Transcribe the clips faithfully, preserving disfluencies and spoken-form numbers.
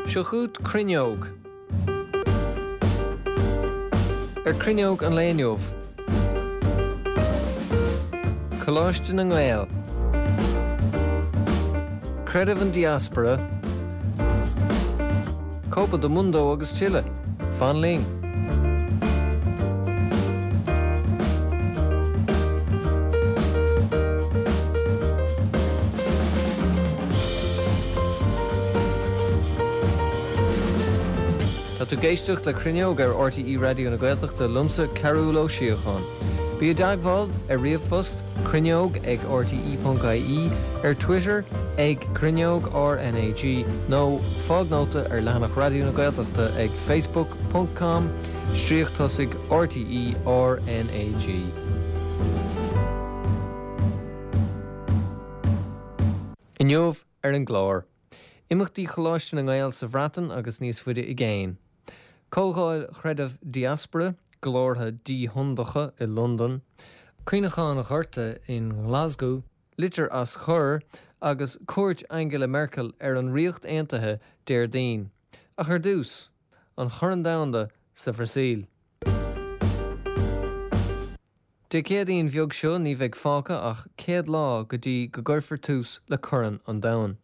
Seo chugat Cruinneog. Ar Cruinneog an lae inniu. Coláiste na nGael. Creideamh an Diaspora. Copa do Mundo agus tuilleadh. Fan linn. Tá tú ag éisteacht le Cruinneog ar RTÉ Raidió na Gaeltachta liomsa Cearúl Ó Síocháin. Bí i dteagmháil ar ríomhphost cruinneog ag rte.ie ar Twitter ag cruinneog RNAG nó fág nóta ar leathanach Raidió na Gaeltachta ag facebook.com stríoc tosaigh RTE RNAG. Inniu ar an gclár. Imeachtaí Choláiste na nGael sa Bhreatain agus níos faide i gcéin. Comhdháil chreidimh Diaspora, glórtha díhondacha i Londain, Cuimhneachán an Ghorta in nGlasgow, litir as Chur agus cuairt Angela Merkel ar an Ríocht Aontaithe Déardaoin. Ach ar dtús, an Corn Domhanda sa Bhrasaíl. Dé Céadaoin bheag seo ní bheidh fágtha ach céad lá go dtí go gcuirfear tús le Corn an Domhain.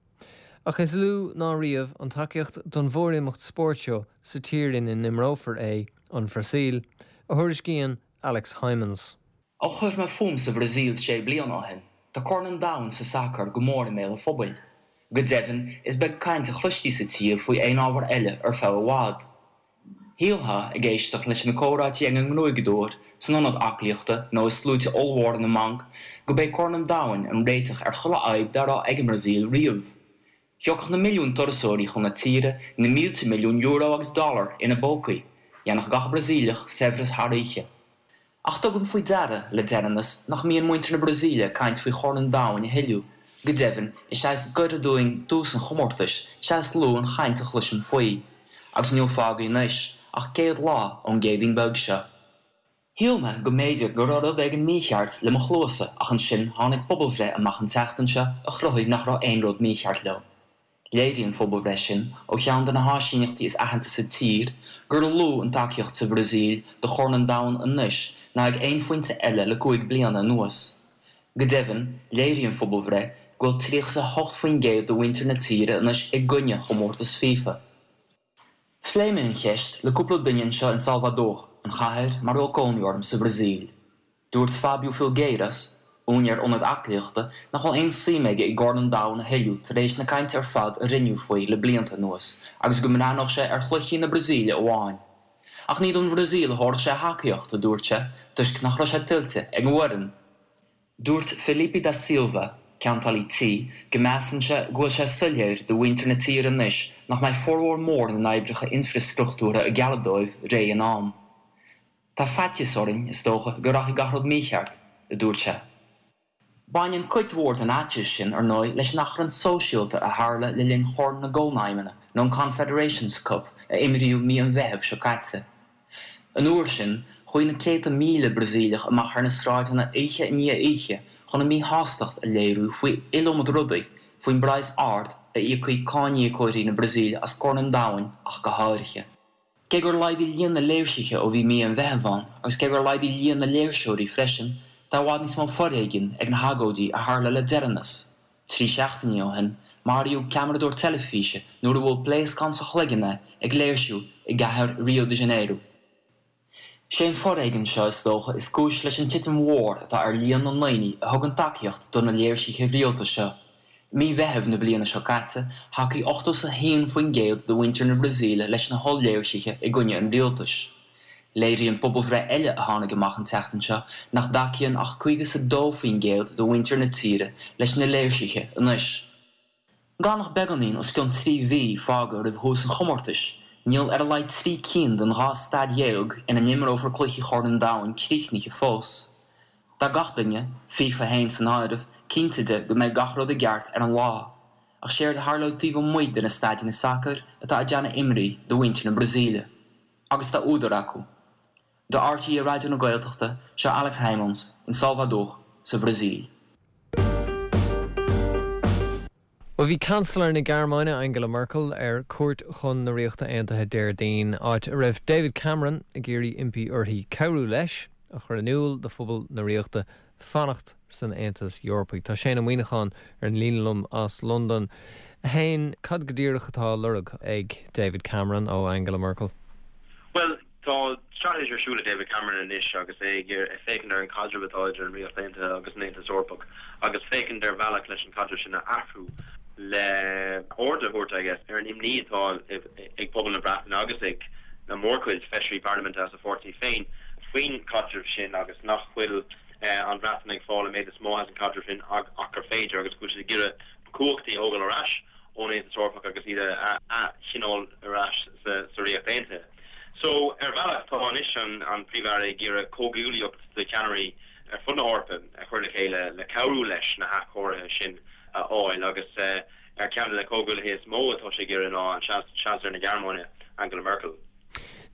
Ach is lú ná riamh an tacaíocht don mhórimeacht spóirt seo sa tír ina n-imreofar é, an Bhrasaíl, a thuairiscíonn Alex Hijmans. Ó chuir mé fúm sa Bhrasaíl sé bliana ó shin, tá Corn an Domhain sa sacar go mór i mbéal an phobail. Go deimhin, is beag caint a chloistí sa tír faoi aon ábhar eile ar feadh i bhfad. Shílfeá, ag éisteacht leis na comhráití ag an ngruaigeadóir, san ionad aclaíochta nó i sluaite ollmhóra na mbanc, go b'é Corn an Domhain an réiteach ar chuile fhadhb dá raibh ag an mBrasaíl riamh. Thiocfadh na milliúin turasóirí chun na tíre, na mílte milliún euro agus dollar ina bpócaí, dhéanfadh gach Brasaíleach saibhreas thar oíche. Ach tugaim faoi deara, le deireanas, nach mbíonn muintir na Brasaíle ag caint faoi Chorn an Domhain a thuilleadh, go deimhin, is ea is gaire dúinn tús an chomórtais, is ea is lú an chaint a chloisim faoi. Agus níl fágtha anois ach céad lá ón gCéadaoin beag seo. Shíl mé go mb'fhéidir go raibh rud éigin mícheart le mo chluasa ach ansin tháinig pobalbhreith amach an tseachtain seo a chruthaigh nach raibh aon rud mícheart leo. Léirigh an phobalbhreith sin, ó cheann de na háisíneachtaí is aitheanta sa tír, gur lú an tacaíocht sa Bhrasaíl do Chorn an Domhain anois ná ag aon phointe eile le cúig bliana anuas. Go deimhin, léirigh an phobalbhreith go bhfuil tríocha is a hocht faoin gcéad de mhuintir na tíre anois i gcoinne chomórtas FIFA. Phléigh mé an cheist le cúpla duine anseo in Salvador, an chathair mar a bhfuil cónaí orm sa Bhrasaíl. Dúirt Fábio Filgueiras, úinéir ionad aclaíochta, nach bhfuil aon suim aige i gCorn an Domhain a thuilleadh tar éis na cainte ar fad a rinneadh faoi le blianta anuas agus go mbreathnódh sé ar chluichí na Brasaíle amháin. Ach ní don Bhrasaíl a thabharfadh sé a thacaíocht, a dúirt sé, toisc nach raibh sé tuillte ag an bhfoireann. Dúirt Felipe da Silva, ceantálaí tí, go measann sé go bhfuil sé soiléir do mhuintir na tíre anois nach mbeidh formhór mór na n-oibreacha infreastruchtúrtha a gealladh dóibh réidh in am. Tá faitíos orainn, is dócha, go rachaidh gach rud mícheart, a dúirt sé. Baineann cuid mhór den fhaitíos sin, ar ndóigh, leis an achrann sóisialta a tharla le linn Chorn na gCónaidhmeanna nó an Confederations Cup a imríodh mí an Mheithimh seo caite. An uair sin, chuaigh na céadta míle Brasaíleach amach ar na sráideanna oíche i ndiaidh oíche chun a míshástacht a léiriú faoi iliomad rudaí, faoin bpraghas ard a íocfaidh cáiníocóirí na Brasaíle as Corn an Domhain ach go háirithe. Cé gur laghdaigh líon na léirsithe ó bhí mí an Mheithimh ann, agus cé gur laghdaigh líon na léirseoirí freisin, tá i bhfad níos mó foréigin ag na hagóidí a tharla le deireanas. Trí seachtainí ó shin, maraíodh ceamaradóir teilifíse nuair a bhuail pléascán sa chloigeann é ag léirsiú i gcathair Rio de Janeiro. Sé an foréigean seo is dócha is cúis leis an titim mhór atá ar líon na ndaoine a thugann tacaíocht do na léirsithe rialta seo. I mí Mheithimh na bliana seo caite, thacaigh ochtó is a haon faoin gcéad de mhuintir na Brasaíle leis na holl-léirsithe i gcoinne an rialtais. Léiríonn pobalbhreith eile a tháinig amach an tseachtain seo nach dtacaíonn ach caoga is a dó faoin gcéad de mhuintir na tíre leis na léirsithe anois. Gan ach beagáinín os cionn trí mhí fágtha roimh thús an chomórtais, níl ar a laghad trí cinn den dhá staid dhéag ina n-imreofar cluichí Chorn an Domhain críochnaithe fós. Tá gach duine, FIFA féin san áireamh, cinnte de go mbeidh gach rud i gceart ar an lá. Ach séard a tharlóidh taobh amuigh de na staideanna sacair atá ag déanamh imní do mhuintir na Brasaíle. Agus tá údar acu. Do RTÉ Raidió na Gaeltachta, seo Alex Hijmans in Salvador, sa Bhrasaíl. Well bhí Chancellor na Gearmáine Angela Merkel ar cuairt chun na Ríochta Aontaithe Déardaoin áit a raibh David Cameron ag iarraidh impí uirthi cabhrú leis a chur in iúl do phobal na Ríochta fanacht san Aontas Eorpach. Tá Shane Ó Muíneacháin ar an líne liom as Londain. Shane cad go díreach atá á lorg ag David Cameron ó Angela Merkel. Well tá straitéis ar siúl ag David Cameron anois agus é ag féachaint ar an caidreamh atá idir an Ríocht Aontaithe agus an Aontas Eorpach agus féachaint ar bhealach leis an caidreamh sin a athrú le aird a thabhairt agus ar an imní atá ag pobal na Breataine agus ag na mórchuid feisirí parlaiminte as a pháirtí féin faoin caidreamh sin agus nach bhfuil an Bhreatain ag fáil an méid is mó as an caidreamh sin ach gur féidir agus go bhfuil siad ag iarraidh cumhachtaí a thógáil ar ais ón Aontas Eorpach agus iad a choinneáil ar ais sa Ríocht Aontaithe. So ar bhealach tá anois an an Príomh-Aire ag iarraidh comhghuaillíocht de cheannairí ar fud na hEorpa a chur le chéile le cabhrú leis na hathchóirithe sin a fháil agus ar ceann de na comhghuaillithe is mó atá sé ag iarraidh ná an Seansailéir na Gearmáine Angela Merkel.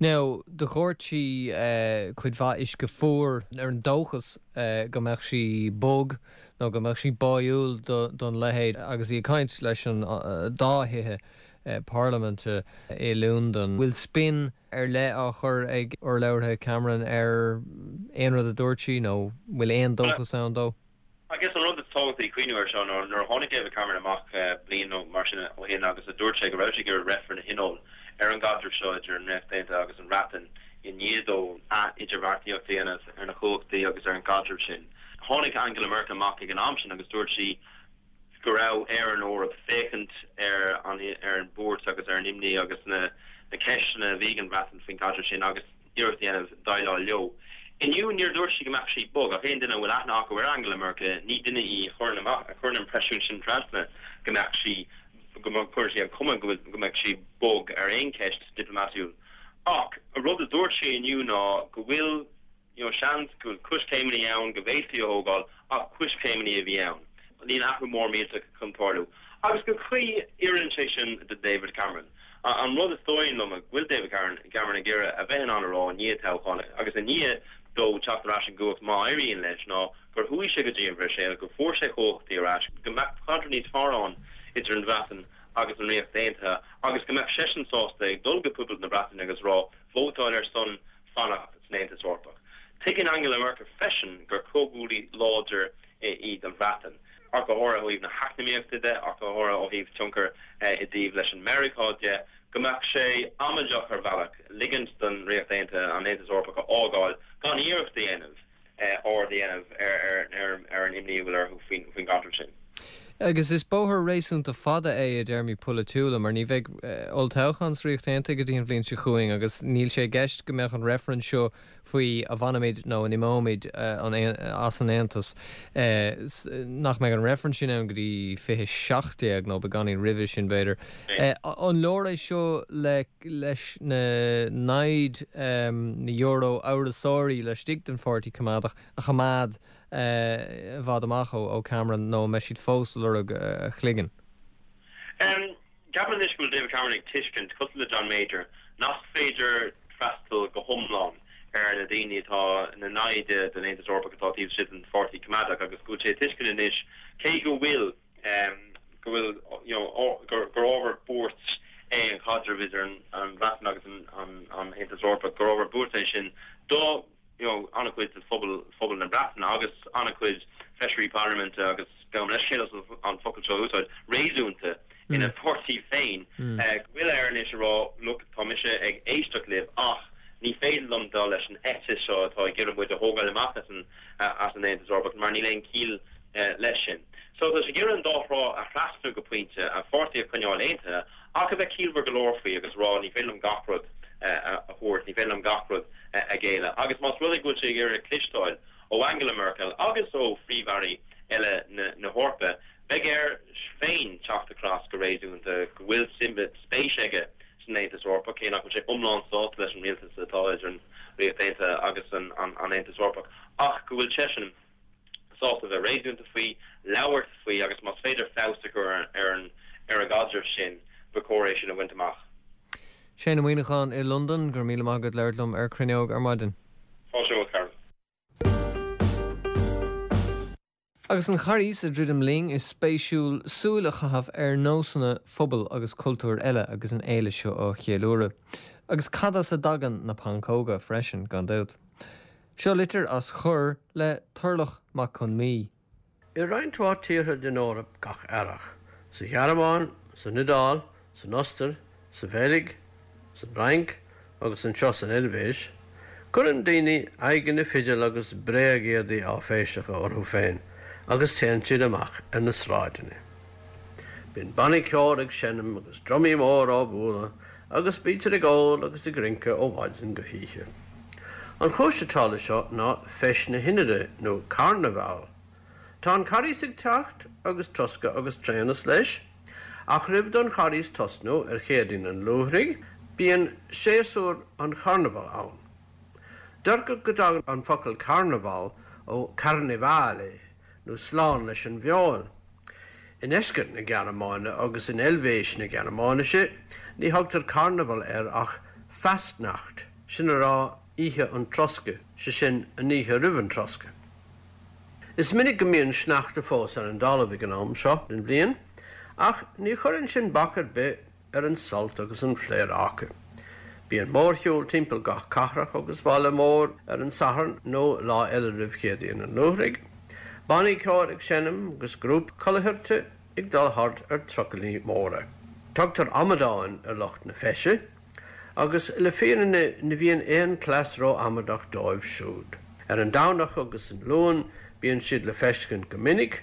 Now do dhoirt sí uh, cuid mhaith uisce fuar ar an dóchas uh, go mbeadh sí bog nó go mbeadh sí báúil don leithéid agus í ag caint leis an uh, dá thithe uh, parlaiminte i Londain. Bhfuil spin ar leith á chur ag urlabhraithe Cameron ar aon rud a dúirt sí nó bhfuil aon dóchas ann dó? I guess an rud is tábhachtaí cuimhneamh air seo nuair nuair a tháinig David Cameron amach bliain nó mar sin ó shin agus a dúirt sé go raibh sé ag iarraidh reifreann a thionól ar an gcaidreamh seo idir an Ríocht Aontaithe agus an Bhreatain i ndiaidh dó ath-idirbheartaíocht a dhéanamh ar na cumhachtaí agus ar an gcaidreamh sin. Tháinig Angela Merkel amach ag an am sin agus dúirt sí go raibh ar an Eoraip féachaint ar an ar an buairt agus ar an imní agus na na ceisteanna a bhí ag an Bhreatain faoin gcaidreamh sin agus iarracht a dhéanamh déileáil leo. Inniu níor dúirt sí go mbeadh sí bog ach aon duine a bhfuil aithne acu ar Angela Merkel ní duine í a chuireann amach a chuireann an impresiún sin trasna go mbeadh sí go gcuireann sí an chuma go go mbeadh sí bog ar aon cheist diplomatúil. Ach a rud a dúirt sí inniu ná go bhfuil you know, seans go bhfuil coiscéimeanna ann go bhféadfaí a thógáil ach coiscéimeanna a bhí ann. Níl athrú mór millteach chun tarlú. Agus go cuí oireann sé sin do David Cameron. An rud is dóigh liom go bhfuil David Cameron Cameron ag iarraidh a bheith in ann a rá i ndiaidh toghcháin agus i ndiaidh dó teacht ar ais i gcumhacht má éiríonn leis ná gur chuaigh sé go dtí an Bhruiséil, go bhfuair sé cumhachtaí ar ais, go mbeadh caidreamh níos fearr ann idir an Bhreatain agus an Ríocht Aontaithe agus go mbeadh seisean sásta ag dul go pobal na Breataine agus rá vótáil ar son fanacht san Aontas Eorpach. Tuigeann Angela Merkel freisin gur comhghuaillí láidir í don Bhreatain. Ach go háirithe ó thaobh na heacnamaíochta de, ach go háirithe ó thaobh tionchar i dtaobh leis an Meiriceá de, go mbeadh sé amaideach ar bhealach ligint don Ríocht Aontaithe an Aontas Eorpach a fhágáil gan iarracht a dhéanamh aird a dhéanamh ar an imní a bhfuil orthu faoin gcaidreamh sin. Agus is bóthar réasúnta fada é i dtéarmaí polaitiúla, mar ní bheidh olltoghchán sa Ríocht Aontaithe go dtí an bhliain seo chugainn agus níl sé i gceist go mbeadh an reifreann seo faoi an bhfanfaimid nó an imeoimid as an Aontas nach mbeidh an reifreann sin ann go dtí fiche seacht déag nó beagáinín roimhe sin b'fhéidir. An leor é seo le leis na naimhde na Euro-amhrasóirí laistigh den Pháirtí Coimeádach a choimeád i bhfad amach ó Cameron nó an mbeidh siad fós ag lorg a chloigeann? Ceapaim anois go bhfuil David Cameron ag tuiscint, cosúil le John Major, nach féidir freastal go hiomlán ar na daoine atá ina naimhde den Aontas Eorpach atá taobh istigh den Pháirtí Coimeádach agus go bhfuil sé ag tuiscint anois cé go bhfuil go bhfuil you know gur gur ábhar buairt é an caidreamh idir an Bhreatain agus an Aontas Eorpach, gur ábhar buairt é sin do you know, an-chuid de phobal phobal na Breataine agus an-chuid feisirí parlaiminte agus gabhaim leithscéal as an focal seo a úsáid, réasúnta ina pháirtí féin, go bhfuil air anois a rá, look, tá mise ag éisteacht libh ach ní féidir liom dul leis an eite seo atá ag iarraidh muid a thógáil amach as an as an Aontas Eorpach mar níl aon chiall leis sin. So tá sé ag iarraidh an dá thrá a thrasnú go pointe, a pháirtí a choinneáil aontaithe ach a bheith ciallmhar go leor faoi agus a rá ní féidir liom gach rud a thabhairt, ní féidir liom gach rud a ghéilleadh. Agus más rud é go bhfuil sé ag iarraidh cloisteáil ó Angela Merkel agus ó phríomh-airí eile na hEorpa, beidh air féin teacht across go réasúnta go bhfuil spéis aige san Aontas Eorpach, cé nach bhfuil sé iomlán sásta leis an rialtas atá idir an Ríocht Aontaithe agus an Aontas Eorpach, ach go bhfuil seisean sásta bheith réasúnta faoi, labhairt faoi agus más féidir feabhas a chur ar an ar an gcaidreamh sin, ba chóir é sin a bhaint amach. Shane Ó Muíneacháin i Londain, go raibh míle maith agat labhairt liom ar Cruinneog ar maidin. Fáilte romhat, Carol. Agus an Charghas ag druidim linn is spéisiúil súil a chaitheamh ar nósanna phobail agus cultúir eile agus an fhéile seo á cheiliúradh. Agus cad as a dtagann na pancóga freisin gan dabht. Seo litir as Chur le Turlach Mac Con Mí. I roinnt mhaith tíortha den Eoraip gach earrach, sa Ghearmáin, san Iodáil, san Ostair, sa Bheilg, san Fhrainc agus anseo san Eilvéis, cuireann daoine aghaidheanna fidil agus bréagéadaí áiféiseacha orthu féin agus téann siad amach ar na sráideanna. Bíonn bannaí ceoil ag seinm agus drumaí mór á bualadh agus bítear ag ól agus ag rince ó mhaidin go hoíche. An chúis atá leis seo ná Feis na hInide nó Carnabhal. Tá an Carghas ag teacht agus troscadh agus tréanas leis, ach roimh don Charghas tosnú ar Chéadaoin an Luaithrigh, bíonn séasúr an charnabhail ann. Deirtear go dtagann an focal carnabhal ó carnevale nó slán leis an bhfeoil. I ndeisceart na Gearmáine agus in Eilvéis na Gearmáinise ní thugtar carnabhal air ach Fastnacht, sin a rá oíche an troscaidh, sé sin an oíche roimh an troscadh. Is minic go mbíonn sneachta fós ar an dtalamh ag an am seo den bhliain, ach ní chuireann sin bac ar bith ar an sult agus an phléaráca. Bíonn mórshiúl timpeall gach cathrach agus baile mór ar an Satharn nó lá eile roimh Chéadaoin an Luaithrigh, bannaí ceoil ag seinm agus grúpaí culaithirte ag dul thart ar trucailí móra. Tugtar amadáin ar lucht na feise, agus le fírinne ní bhíonn aon chleas ró-amadach dóibh siúd. Ar an Domhnach agus an Luan bíonn siad le feiscint go minic,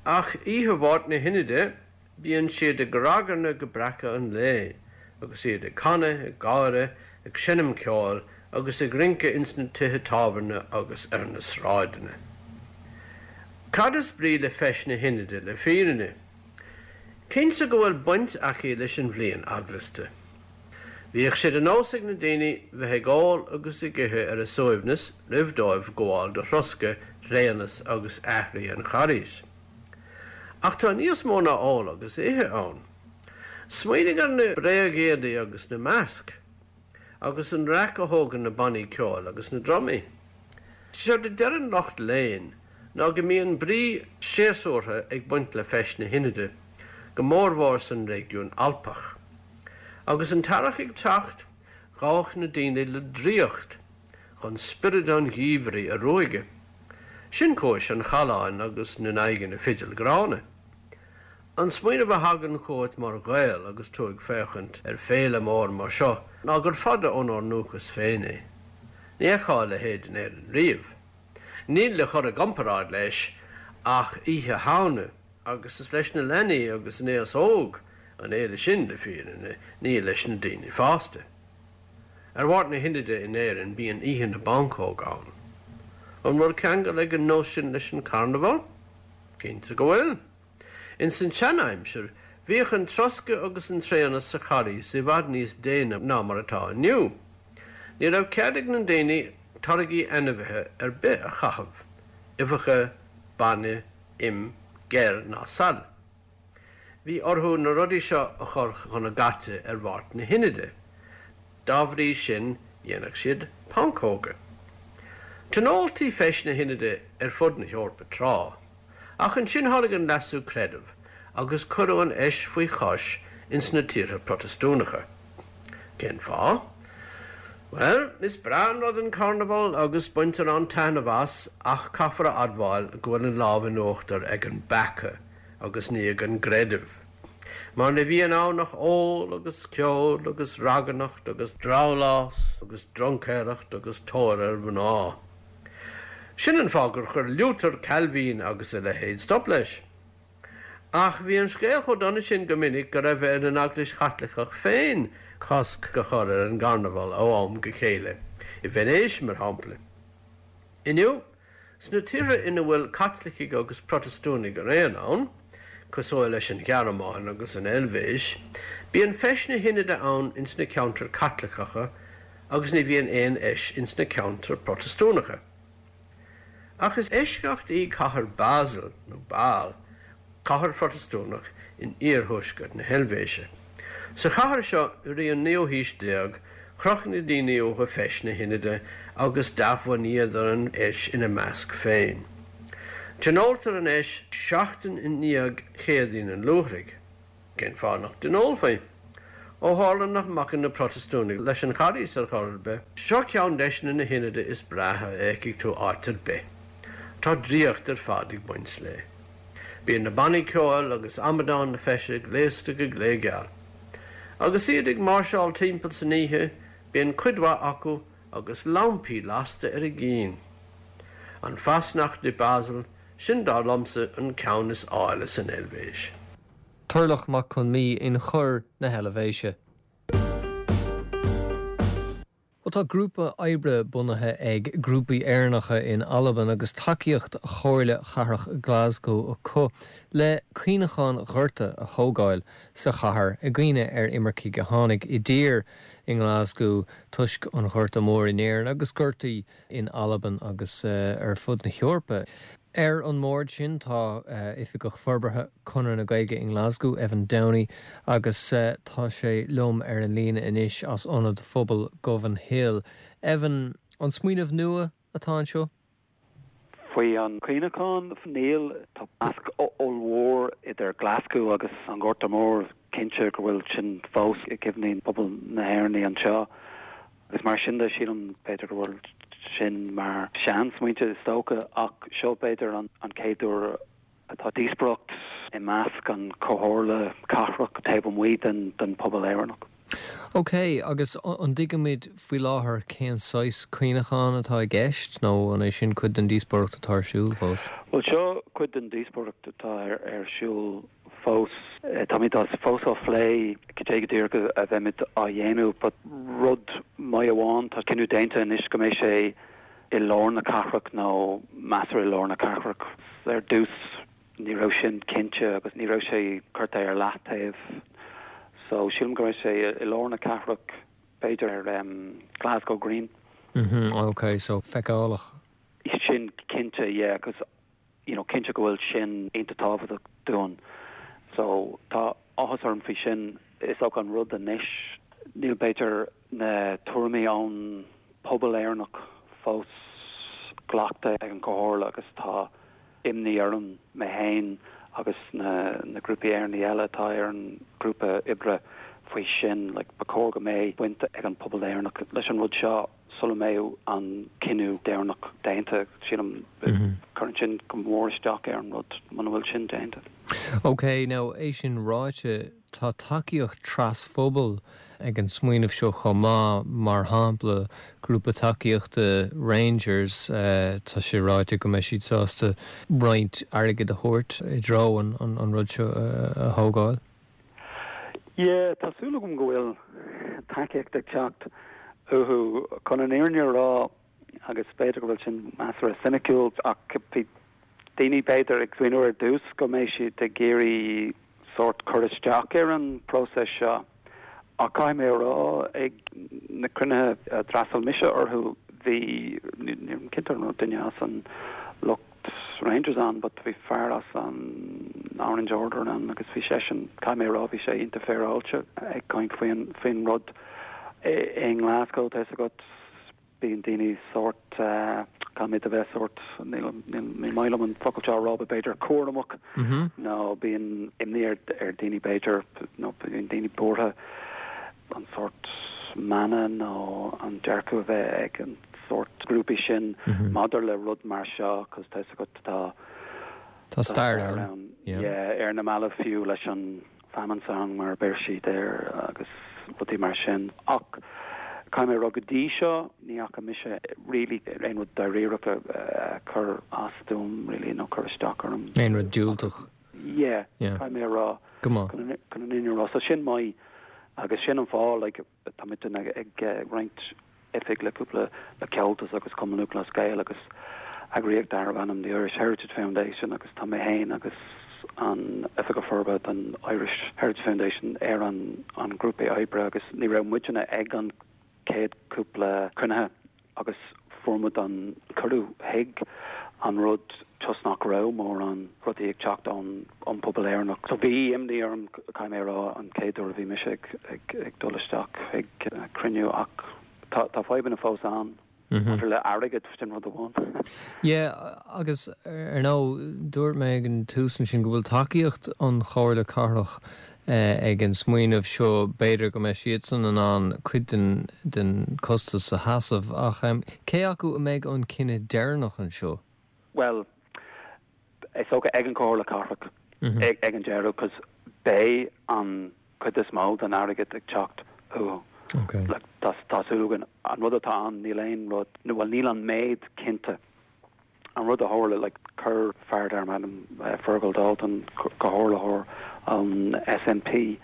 ach oíche Mháirt na hInide bíonn siad ag ragairne go breacadh an lae, agus iad ag canadh, ag gáire, ag seinm ceoil agus ag rince ins na tithe tábhairne agus ar na sráideanna. Cad is brí le Feis na hInide le fírinne? Cinnte go bhfuil baint aici leis an bhliain eaglasta. Bhíodh sé de nós ag na daoine bheith ag ól agus ag ithe ar a suaimhneas roimh dóibh gabháil do throscadh, tréanas agus aithrí an Charghais. Ach tá níos mó ná ól agus ithe ann. Smaoinigh ar na bréagéadaí agus na maisc, agus an raic a thógann na bannaí ceoil agus na drumaí. Séard a deireann lucht léinn ná go mbíonn brí séasúrtha ag baint le Feis na hInide, go mórmhór san réigiún Alpach. Agus an t-earrach ag teacht, ghabhadh na daoine le draíocht chun spiorad an gheimhridh a ruaigeadh. Sin cúis an challáin agus na n-aghaidheanna fidil gránna. An smaoineamh a thagann chugat mar Ghael agus tú ag féachaint ar féile mór mar seo ná gur fada ónár ndúchas féin é. Ní fheicfeá a leithéid in Éirinn riamh. Níl le chur i gcomparáid leis ach Oíche Shamhna agus is leis na leanaí agus an aos óg an fhéile sin le fírinne, ní leis na daoine fásta. Ar Mháirt na hInide in Éirinn bíonn Oíche na bPancóg ann. An bhfuil ceangal ag an nós sin leis an carnabhal? Cinnte go bhfuil. Ins an tseanaimsir, bhíodh an troscadh agus an tréanas sa Charghas i bhfad níos déine ná mar atá inniu. Ní raibh cead ag na daoine táirgí ainmhithe ar bith a chaitheamh, uibheacha, bainne, im, geir ná saill. Bhí orthu na rudaí seo a chur chun a gcaite ar Mháirt na hInide. Dá bhrí sin dhéanadh siad pancóga. Tionóltaí Feis na hInide ar fud na hEorpa tráth, ach ansin tháinig an Leasú Creidimh agus cuireadh an fheis faoi chois ins na tíortha Protastúnacha. Cén fáth? Bhuel, is breá an rud an carnabhal agus baintear an-taitneamh as ach caithfear a admháil go bhfuil an lámh in uachtar ag an bpeaca agus ní ag an gcreideamh. Mar ní bhíonn ann ach ól agus ceol agus ragairneacht agus drabhlás agus druncaeireacht agus tóir ar mhná. Sin an fáth gur chuir Liútar, Cailvín agus a leithéid stop leis. Ach bhí an scéal chomh dona sin go minic go raibh ar an Eaglais Chaitliceach féin cosc a chur ar an gcarnabhal ó am go chéile, i Veinéis mar shampla. Inniu, sna tíortha ina bhfuil Caitlicigh agus Protastúnaigh araon ann, cosúil leis an Ghearmáin agus an Eilvéis, bíonn Feis na hInide ann ins na ceantair Chaitliceacha agus ní bhíonn aon fheis ins na ceantair Protastúnacha. Ach is eisceacht í cathair Basel nó Bâle, cathair Phrotastúnach in iarthuaisceart na hEilvéise. Sa chathair seo i rith an naoú haois déag, chroch na daoine uathu Feis na hInide agus d'athbhunaíodar an fheis ina measc féin. Tionóltar an fheis seachtain i ndiaidh Chéadaoin an Luaithrigh. Cén fáth nach dtionólfaí? Ó tharla nach mbacann na Protastúnaigh leis an Charghas ar chor ar bith, seo ceann des na hionaid is breátha a fheicfidh tú áit ar bith. Tá draíocht ar fad ag baint léi. Bíonn na bannaí ceoil agus amadáin na feise gléasta go gléigeal. Agus iad ag máirseáil timpeall san oíche, bíonn cuid mhaith acu agus lampaí lasta ar a gcinn. An Fasnacht i Basel, sin dar liomsa an ceann is áille san Eilvéis. Turlough Mac Con Midhe in Chor na hEilvéise. Ó tá grúpa oibre bunaithe ag grúpaí Éireannacha in Albain agus tacaíocht Chomhairle Chathrach Glasgow acu le cuimhneachán gorta a thógáil sa chathair i gcuimhne ar imircigh a tháinig i dtír i nGlasgow toisc an Ghorta Mhóir in Éirinn agus gortaí in Albain agus uh, ar fud na hEorpa. Ar an mbord sin tá uh, oifigeach forbartha Chonradh na Gaeilge in Glasgow Evan Downey agus uh, tá sé liom ar an líne anois as ionad phobail Govanhill. Evan an smaoineamh nua atá anseo? Faoi an cuimhneachán níl tá nasc ollmhór idir Glasgow agus an Gorta Mór cinnte go bhfuil sin fós i gcuimhne pobal na hÉireann anseo. Agus mar sin de sílim b'fhéidir go bhfuil sin mar seansmaointe is dócha ach seo b'fhéidir an, an chéad uair atá díospóireacht i measc an chomhairle cathrach taobh amuigh den den pobal Éireannach. Ok, agus an dtuigimid faoi láthair cén saghas cuimhneachán atá i gceist nó an é sin cuid den díospóireacht atá ar siúl fós? Well seo cuid den díospóireacht atá ar, ar siúl fós Táimid fós á phlé cad é go díreach a bheimid á dhéanamh, but rud maith amháin tá cinneadh déanta anois go mbeidh sé i lár na cathrach nó measartha i lár na cathrach ar dtús ní raibh sin cinnte agus ní raibh sé curtha ar leataobh. So sílim go mbeidh sé i lár na cathrach b'fhéidir ar um, Glasgow Green. Mm -hmm, ok, so feiceálach. Sin cinnte yeah, cos you know, cinnte go bhfuil sin iontach tábhachtach dúinn. So tá áthas orm faoi sin is ach an rud anois níl b'fhéidir na tuairimí ón pobal Éireannach fós glactha ag an gcomhairle agus tá imní orm mé féin agus na, na grúpaí Éireannacha eile atá ar an grúpa oibre faoi sin like, ba chóir go mbeadh baint ag an pobal Éireannach leis an rud seo sula mbeidh an cinneadh deireanach déanta sílim mm -hmm. cuireann sin go mór isteach ar an rud muna bhfuil sin déanta. Ok, now é sin ráite tá tacaíocht trasphobail ag an smaoineamh seo chomh maith mar shampla grúpa tacaíochta Rangers uh, tá sé ráite go mbeidh siad sásta roinnt airgid a thabhairt i dtreo an, an, an rud seo uh, a thógáil. Yeah, tá súil agam go bhfuil tacaíocht ag teacht uathu chun an fhírinne a rá agus b'fhéidir go bhfuil sin measartha soiniciúil ach bhí daoine b'fhéidir ag smaoineamh ar dtús go mbeidh siad ag iarraidh sórt cur isteach ar an próiseas seo. Ach caithfidh mé rá ag na cruinnithe a d'fhreastail mise orthu bhí cinnte an duine as an lucht Rangers ann, but bhí fear as an Orange Order ann agus bhí seisean caithfidh mé rá bhí sé iontach féaráilte ag caint faoin faoin rud i nGlasgow tá agat bíonn daoine sórt uh, caithfidh a bheith sórt ní maith liom an focal seo rá b'fhéidir cúramach mm -hmm. nó bíonn imní ar ar daoine b'fhéidir nó bíonn daoine buartha an sórt mana nó an dearcadh a bheith ag an sórt grúpaí sin mm -hmm. maidir le rud mar seo cos tá agat tá Tá stair ann ar na mallaibh fiú leis an famine song mar a deir siad air agus rudaí mar sin ach caithfidh mé rá go dtí seo ní fhaca mise really aon rud dáiríreach a chur as dom really nó cur isteach orm. Aon rud diúltach. Yeah, caithfidh mé rá go chun an fhírinne rá so sin maith agus sin an fáth like, tá muid ag roinnt oifig le cúpla le Comhaltas agus Cumann Lúthchleas Gael agus eagraíocht darb ainm the Irish Heritage Foundation agus tá mé féin agus an Oifigeach Forbartha den Irish Heritage Foundation ar an an grúpa oibre agus ní raibh muidne ag an céad cúpla cruinnithe agus fuair muid an cuireadh chuig an rud toisc nach raibh mórán rudaí ag teacht ón an pobal Éireannach. So bhí imní orm caithfidh mé rá an chéad uair a bhí mise ag, ag, ag dul isteach ag cruinniú ach tá tá fadhbanna fós ann Maidir le airgead, sin rud amháin. Yeah, agus ar ndóigh, dúirt mé ag an tús ansin go bhfuil tacaíocht an Chomhairle Cathrach ag an smaoineamh seo, b'fhéidir go mbeidh siadsan in ann cuid den den costas a sheasamh, ach cé acu a mbeidh an cinneadh deireanach anseo? Well, is dócha ag an Chomhairle Cathrach ag ag an deireadh, cos beidh an cuid is mó den airgead ag teacht uathu. Okay. Like, tá tá súil againn an rud atá ann níl aon rud nó well níl an méid cinnte. An rud a tharla like chuir fear darb ainm uh, Fergal Dalton comhairleoir an SNP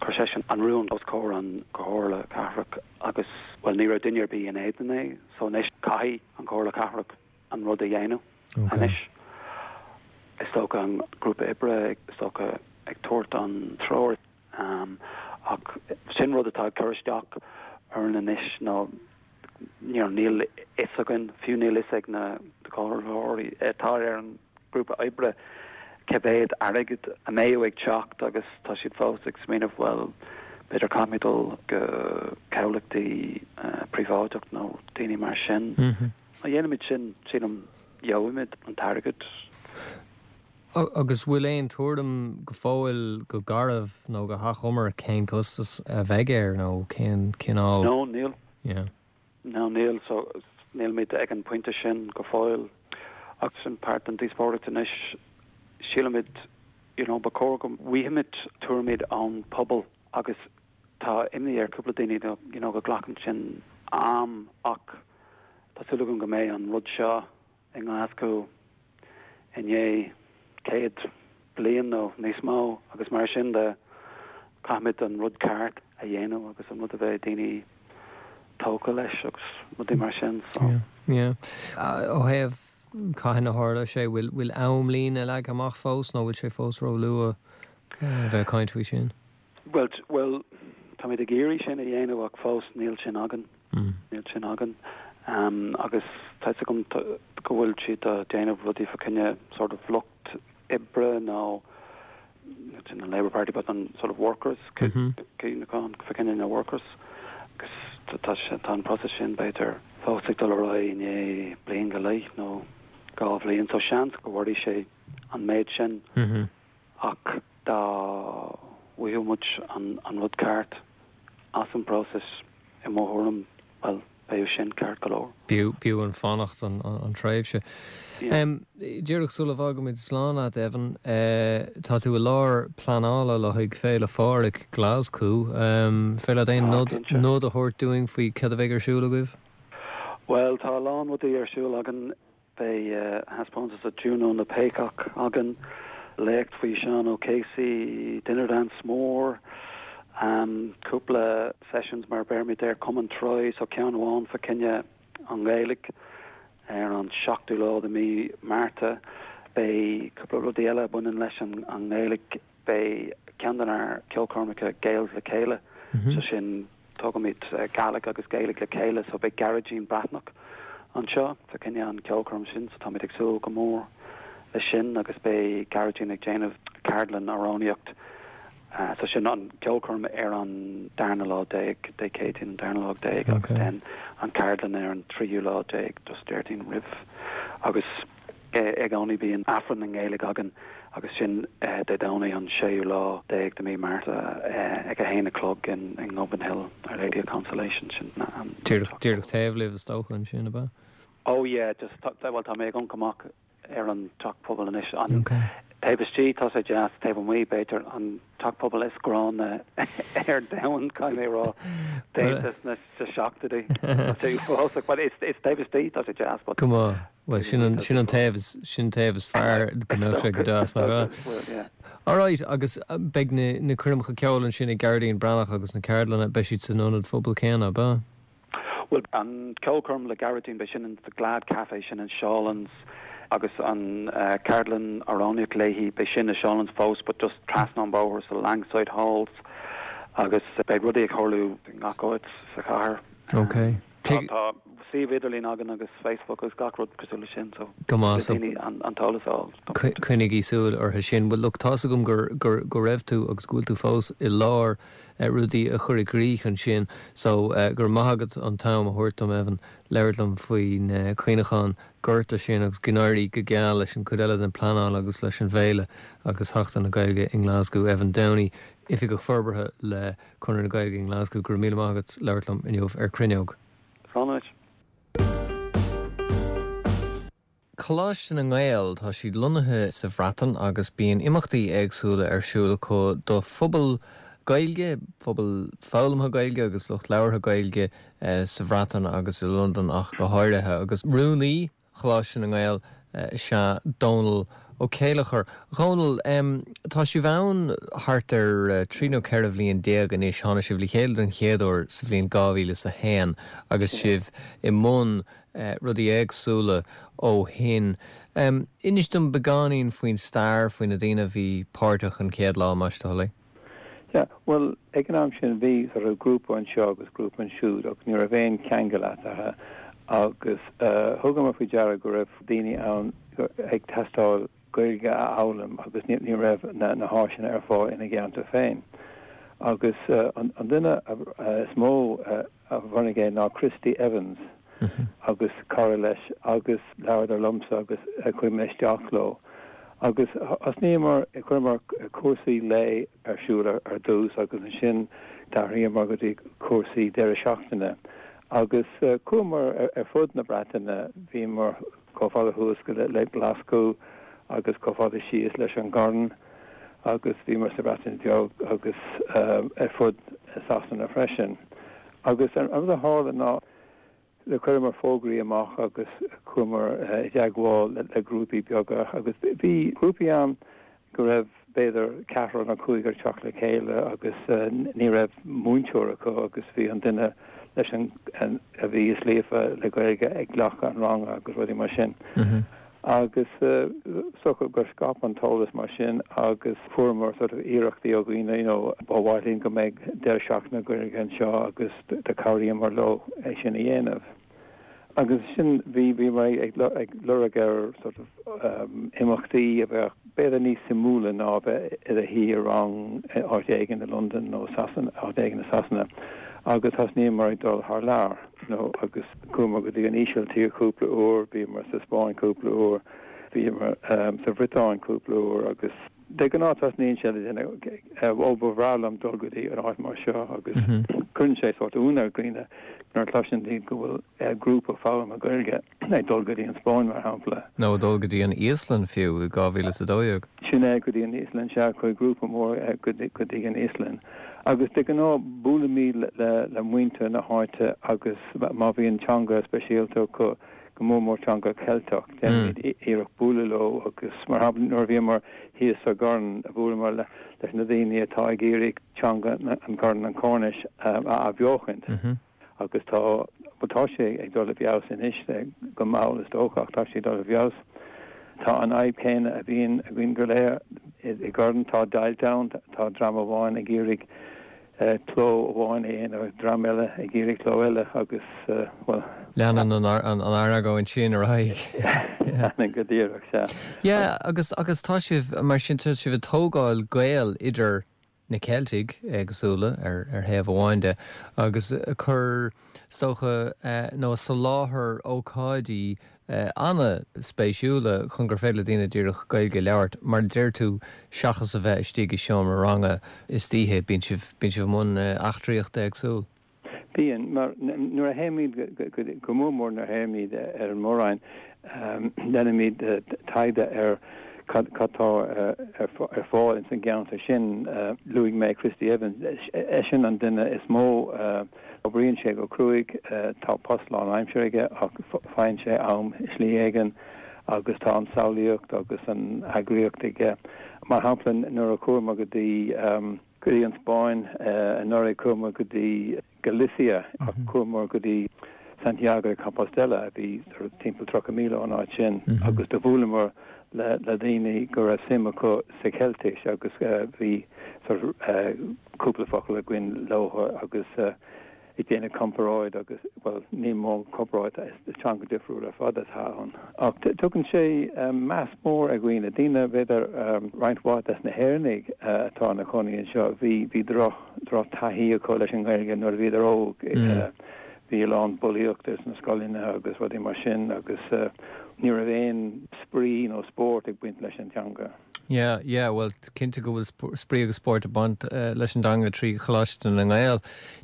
chuir seisean an rún os comhair an Comhairle Cathrach agus well ní raibh duine ar bith in éadan é so anois caithfidh an Comhairle Cathrach an rud a dhéanamh Okay. anois. Is dócha an grúpa oibre is dócha ag tabhairt an treoir um, ach sin rud atá ag cur isteach orainn anois ná you know, níl fhios againn fiú níl fhios ag na comhairleoirí atá ar an grúpa oibre cé mhéad airgead a mbeidh ag teacht agus tá siad fós ag smaoineamh well b'fhéidir caithfimid dul go comhlachtaí uh, príobháideach nó daoine mar sin. Mm -hmm. Má dhéanaimid sin sílim gheobhaimid an t-airgead. Agus bhfuil aon tuairim go fóill go garbh nó go hachomair cén costas a bheidh air nó cén cineál? No, níl. Yeah. No, níl so nílimid ag an pointe sin go fóill agus sin páirt den díospóireacht anois sílimid you know, ba chóir go bhfaighimid tuairimí ón pobal agus tá imní ar cúpla daoine you know, go nglacann sin am ach tá súil agam go mbeidh an rud seo i nGlaschú i ndiaidh céad bliain nó níos mó agus mar sin de caithfimid an rud ceart a dhéanamh agus an rud a bheidh daoine tógtha leis agus rudaí mar sin so. Yeah. Yeah. Ó thaobh cathain a tharla sé bhfuil bhfuil amlíne leagtha amach fós nó bhfuil sé fós ró-luath bheith caint faoi sin? Well, well táimid ag iarraidh sin a dhéanamh ach fós níl sin againn Mm. níl sin againn. Um, agus tá agam go bhfuil siad ag déanamh rudaí fá choinne sort of lucht oibre nó in the Labour Party but an sort of workers Mm -hmm. fá choinne na workers agus tá tá an process sin b'fhéidir fós ag dul ar aghaidh i ndiaidh bliain go leith nó dhá bhliain so seans go bhfuil sé an méid sin Mm -hmm. ach dá bhfaigheadh muid an, an rud ceart as an process i mo thuairim well beidh sin ceart go leor. B'fhiú b'fhiú an fanacht an, an, an tréimhse. Yeah. Um, Díreach sula bhfágaimid slán leat Evan, uh, tá tú i lár pleanála le haghaidh Féile Phádraig Glaschu, um, féidir leat aon Ah, nod cinnte. nod a thabhairt dúinn faoi cad a bheidh ar siúl agaibh? Well tá a lán rudaí ar siúl againn beidh uh, thaispeántas a Juno na bPéacach againn léacht faoi Seán O'Casey dinner dance mór um, cúpla sessions mar bheimid ar Cumann Troy so ceann amháin fá choinne an Ghaeilge ar an seachtú lá de mí Márta beidh cúpla rudaí eile baineann leis an, an nGaeilge beidh ceann denár ceolchoirmeacha Gaels le chéile Mm -hmm. so sin tugaimid uh, Gaelic agus Gaeilge le chéile so beidh Gearóidín Breathnach anseo fá choinne an ceolchoirm sin so táimid ag súil go mór le sin agus beidh Gearóidín ag déanamh ceardlann amhránaíocht uh, so sin an ceolchoirm ar an darna lá déag Dé Céadaoin an darna lá déag agus Okay. then an ceardlann ar an tríú lá déag just Déardaoin roimh agus eh, i gcónaí bíonn Aifreann na nGaeilge againn agus sin eh, Dé Domhnaigh an séú lá déag de mí Márta eh, ag a haon a chlog in, in Gobinhill Our Lady of Consolation sin na, an Díreach díreach taobh libh is dócha ansin ab ea? Oh yeah, just tá well tá mé ag amharc amach ar an teach pobail anois an Okay. taobh istigh tá sé deas taobh amuigh b'fhéidir an teach pobail is gránna ar domhan caithfidh mé rá déanta sna seachtóidí fásach but it's it's taobh istigh tá sé deas but Go maith well sin an sin an taobh is sin taobh is fearr go mbeadh sé go deas nach ea? Well, yeah. Alright, agus uh, beidh na na coirmeacha ceoil ansin ag Gearóidín Breathnach agus na ceardlanna beidh siad san ionad phobail céanna ab ea? Well an ceolchoirm le Gearóidín beidh sin in the Glad Cafe sin in Shawlands agus an uh, ceardlann amhránaíocht léi beidh sin i Shawlands fós but just trasna an bóthar sa Langside Halls agus beidh rudaí ag tarlú i ngach áit sa chathair. Okay. Tá tá suíomh idirlín againn agus Facebook agus gach rud cosúil leis sin so Go maith, so- daoine an an t-eolas a fháil. Coinnigí súil orthu sin. Well look tá's agam gur gur go raibh tú agus go bhfuil tú fós i lár eh, rudaí a chur i gcrích ansin so uh, gur maith agat an t-am a thabhairt dom Evan labhairt liom faoin uh, cuimhneachán gorta sin agus go n-éirí go geal leis an chuid eile den pleanáil agus leis an bhféile agus Seachtain na Gaeilge i nGlasgow Evan Downey Oifigeach Forbartha le Conradh na Gaeilge i nGlasgow gur míle maith agat labhairt liom inniu ar Cruinneog. Slán. Coláiste na nGael tá siad lonnaithe sa Bhreatain agus bíonn imeachtaí éagsúla ar siúl acu do phobal Gaeilge, phobal foghlamtha Gaeilge agus lucht labhartha Gaeilge eh, sa Bhreatain agus i Londain ach go háirithe agus rúnaí Choláiste na nGael eh, is ea Dónal Ó Céileachair. Dhónal um, tá sibh ann thart ar uh, trí nó ceithre bhliain déag anois tháinig sibh le chéile den chéad uair sa bhliain dhá mhíle is a haon agus sibh i mbun uh, rudaí éagsúla ó shin. Um, Inis dom beagáinín faoin stair faoi na daoine a bhí páirteach an chéad lá más do thoil é. Yeah, well ag an am sin bhí sort of grúpa anseo agus grúpa ansiúd ach ní raibh aon cheangal eatarthu agus uh, thugamar faoi deara go raibh daoine ann ag teastáil Gaeilge a fhoghlaim agus ní, ní raibh na, na háiseanna ar fáil ina gceantar féin. Agus uh, an, an duine uh, is mó uh, a bhunaigh é ná Christy Evans mm -hmm. agus cara leis agus labhradar liomsa agus uh, chuaigh mé isteach leo. Agus thosnaíomar chuireamar cúrsaí lae ar siúl ar, ar dtús agus ansin d'athraíomar go dtí cúrsaí deireadh seachtaine. Agus uh, chuamar ar, ar fud na Breataine bhíomar chomh fada thuas go le, le Glasgow agus chomh fada síos leis an gCorn agus bhíomar sa Bhreatain Bheag agus uh, ar fud Sasana freisin. Agus an rud a tharla ná le chuireamar fógraí amach agus chuamar uh, i dteagmháil le, le grúpaí beaga agus bhí grúpaí ann go raibh b'fhéidir ceathrar nó cúigear ag teacht le chéile agus uh, ní raibh múinteoir acu agus bhí an duine leis an, an a bhí is líofa le Gaeilge ag glacadh an ranga agus rudaí mar sin. Mm -hmm. Agus uh, so gur scaip an t-eolas mar sin agus fuaireamar sort of iarrachtaí ó dhaoine you know, ba mhaith linn go mbeidh deireadh seachtaine Gaeilge anseo agus do chabhraíomar leo é sin a dhéanamh. Agus sin bhí bhí mé ag ag lorg ar sort of um, imeachtaí a bheith b'fhéidir níos suimiúla ná bheith i do shuí i rang áit éigin i London nó Sasana áit éigin i Sasana. Agus thosnaíomar ag dul thar lear nó agus chuamar go dtí an Ísiltír cúpla uair, bhíomar sa Spáinn cúpla uair, bhíomar um, sa Bhriotáin cúpla uair agus de ghnáth tosnaíonn sé le ó ba bhreá liom dul go dtí an áit mar seo agus mm -hmm. cuireann sé sort ionadh ar dhaoine nuair a chloiseann daoine go bhfuil uh, grúpa foghlama Gaeilge ag dul go dtí an Spáinn mar shampla. Nó dul go dtí an Íoslainn fiú i dhá mhíle is a dó dhéag. Sin é go dtí an Íoslainn sea chuaigh grúpa mór uh, go dtí an Íoslainn. Agus de ghnáth buailimid le, le, le muintir na háite agus má bhíonn teanga speisialta go go mór mór teanga Ceilteach mm. iarracht bualadh leo agus mar shampla nuair bhíomar thíos sa gCorn a bhuaileamar le leis na daoine atá ag iarraidh teanga an Chorn an Chornais um, a athbheochaint. Mm -hmm. agus tá tá sé ag dul i bhfeabhas anois go mall is dócha tá sé dul i bhfeabhas. Tá an fhadhb chéanna a bhíonn againn go léir i gCorn tá deighilt ann tá dream amháin ag iarraidh uh, cló amháin é dream eile ag iarraidh cló eile agus uh, well Leanann an an argóint sin ar aghaidh. go díreach sea. Yeah, agus agus tá sibh mar sin tá sibh ag tógáil gaol idir na Ceiltigh éagsúla ar ar thaobh amháin de agus chur stocha uh, nó soláthar ócáidí uh, an-spéisiúla chun gur féidir le daoine díreach Gaeilge a labhairt mar deir tú seachas a bheith istigh i seomra ranga istoíche bíonn sibh bíonn sibh i mbun uh, eachtraíocht éagsúil. Bíonn mar nuair a théimid go mór mór nuair a théimid ar an Mór-Roinn déanaimid taighde ar cad atá ar fáil in san gceantar sin luaigh mé Christy Evans é sin an duine is mó oibríonn sé go cruaidh tá post lánaimseartha aige ach faigheann sé am i slí éigin agus tá an samhlaíocht agus an eagraíocht aige. Mar shampla nuair a chuamar go dtí go dtí an Spáinn anuraidh chuamar go dtí Galicia ach chuamar go dtí Santiago de Compostela a bhí timpeall tríocha míle ón áit sin mm -hmm. agus do bhuaileamar le le daoine go raibh suim acu sa Cheiltis agus uh, bhí sort uh, cúpla focal againn leo agus uh, ag déanamh comparáid agus well ní mó comparáid is teanga difriúil ar fad atá ann. Ach tugann sé um, meas mór ar dhaoine daoine b'fhéidir um, roinnt mhaith des na hÉireannaigh uh, atá ina gcónaí anseo bhí bhí droch droch taithí acu leis an Ghaeilge nuair a bhíodar óg mm. uh, bhí a lán bulaíochta sna scoileanna agus rudaí mar sin agus uh, ní raibh aon spraoi nó spórt ag baint leis an teanga. Yeah, yeah, well cinnte go bhfuil spraoi agus spórt ag baint uh, leis an dteanga trí Choláiste na nGael.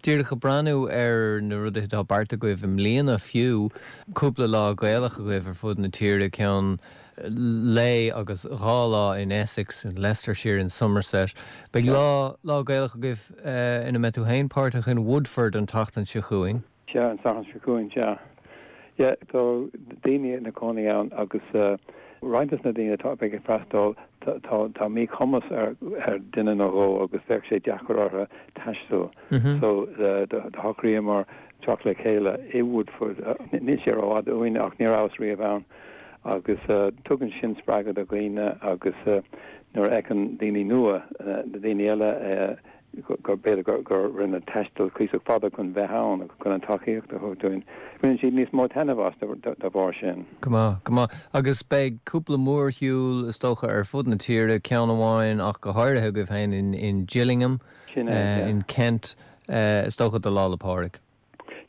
Díreach ag breathnú ar na rudaí atá beartaithe agaibh i mbliana fiú cúpla lá Gaelach agaibh ar fud na tíre ceann lae agus dhá lá in Essex in Leicestershire in Somerset. Beidh lá lá Gaelach agaibh uh, ina mbeidh tú féin páirteach in Woodford an tseachtain seo chugainn. Sea an tseachtain seo chugainn sea. Yeah, tá daoine ina gcónaí ann agus uh, roinnt des na daoine atá ag freastal tá tá míchumas ar ar duine nó dhó agus bheadh sé deacair orthu taisteal. Mm -hmm. So do shocraíomar teacht le chéile i Woodford níl sé rófhada uainn ach ní rabhas riamh ann agus uh, tugann sin spreagadh do dhaoine agus uh, nuair a fheiceann daoine nua uh, daoine eile uh, gur b'fhéidir gur gur rinne taisteal cuíosach fada chun bheith ann agus chun an tacaíocht a thabhairt dúinn. Baineann siad níos mó taitneamh as de bharr sin. Go maith, go maith. Agus beidh cúpla mórshiúl is dócha ar fud na tíre ceann amháin ach go háirithe agaibh féin in, in Gillingham, Sin uh, é, in Kent, uh, is dócha do Lá 'le Pádraig.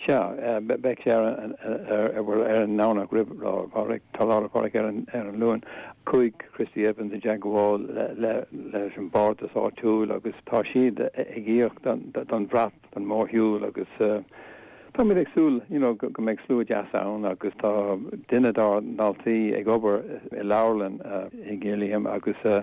Sea, beidh sé ar ar an nDomhnach roimh Lá Pádraig tá Lá 'le Pádraig ar an ar an Luan chuaigh Christy Evans i dteagmháil leis an bardas áitiúil agus tá siad ag íoc don bhrat don mhórshiúl agus táimid ag súil you know, go mbeidh slua deas ann agus tá duine dár ndaltaí ag obair i leabharlann uh, i Gillingham agus uh,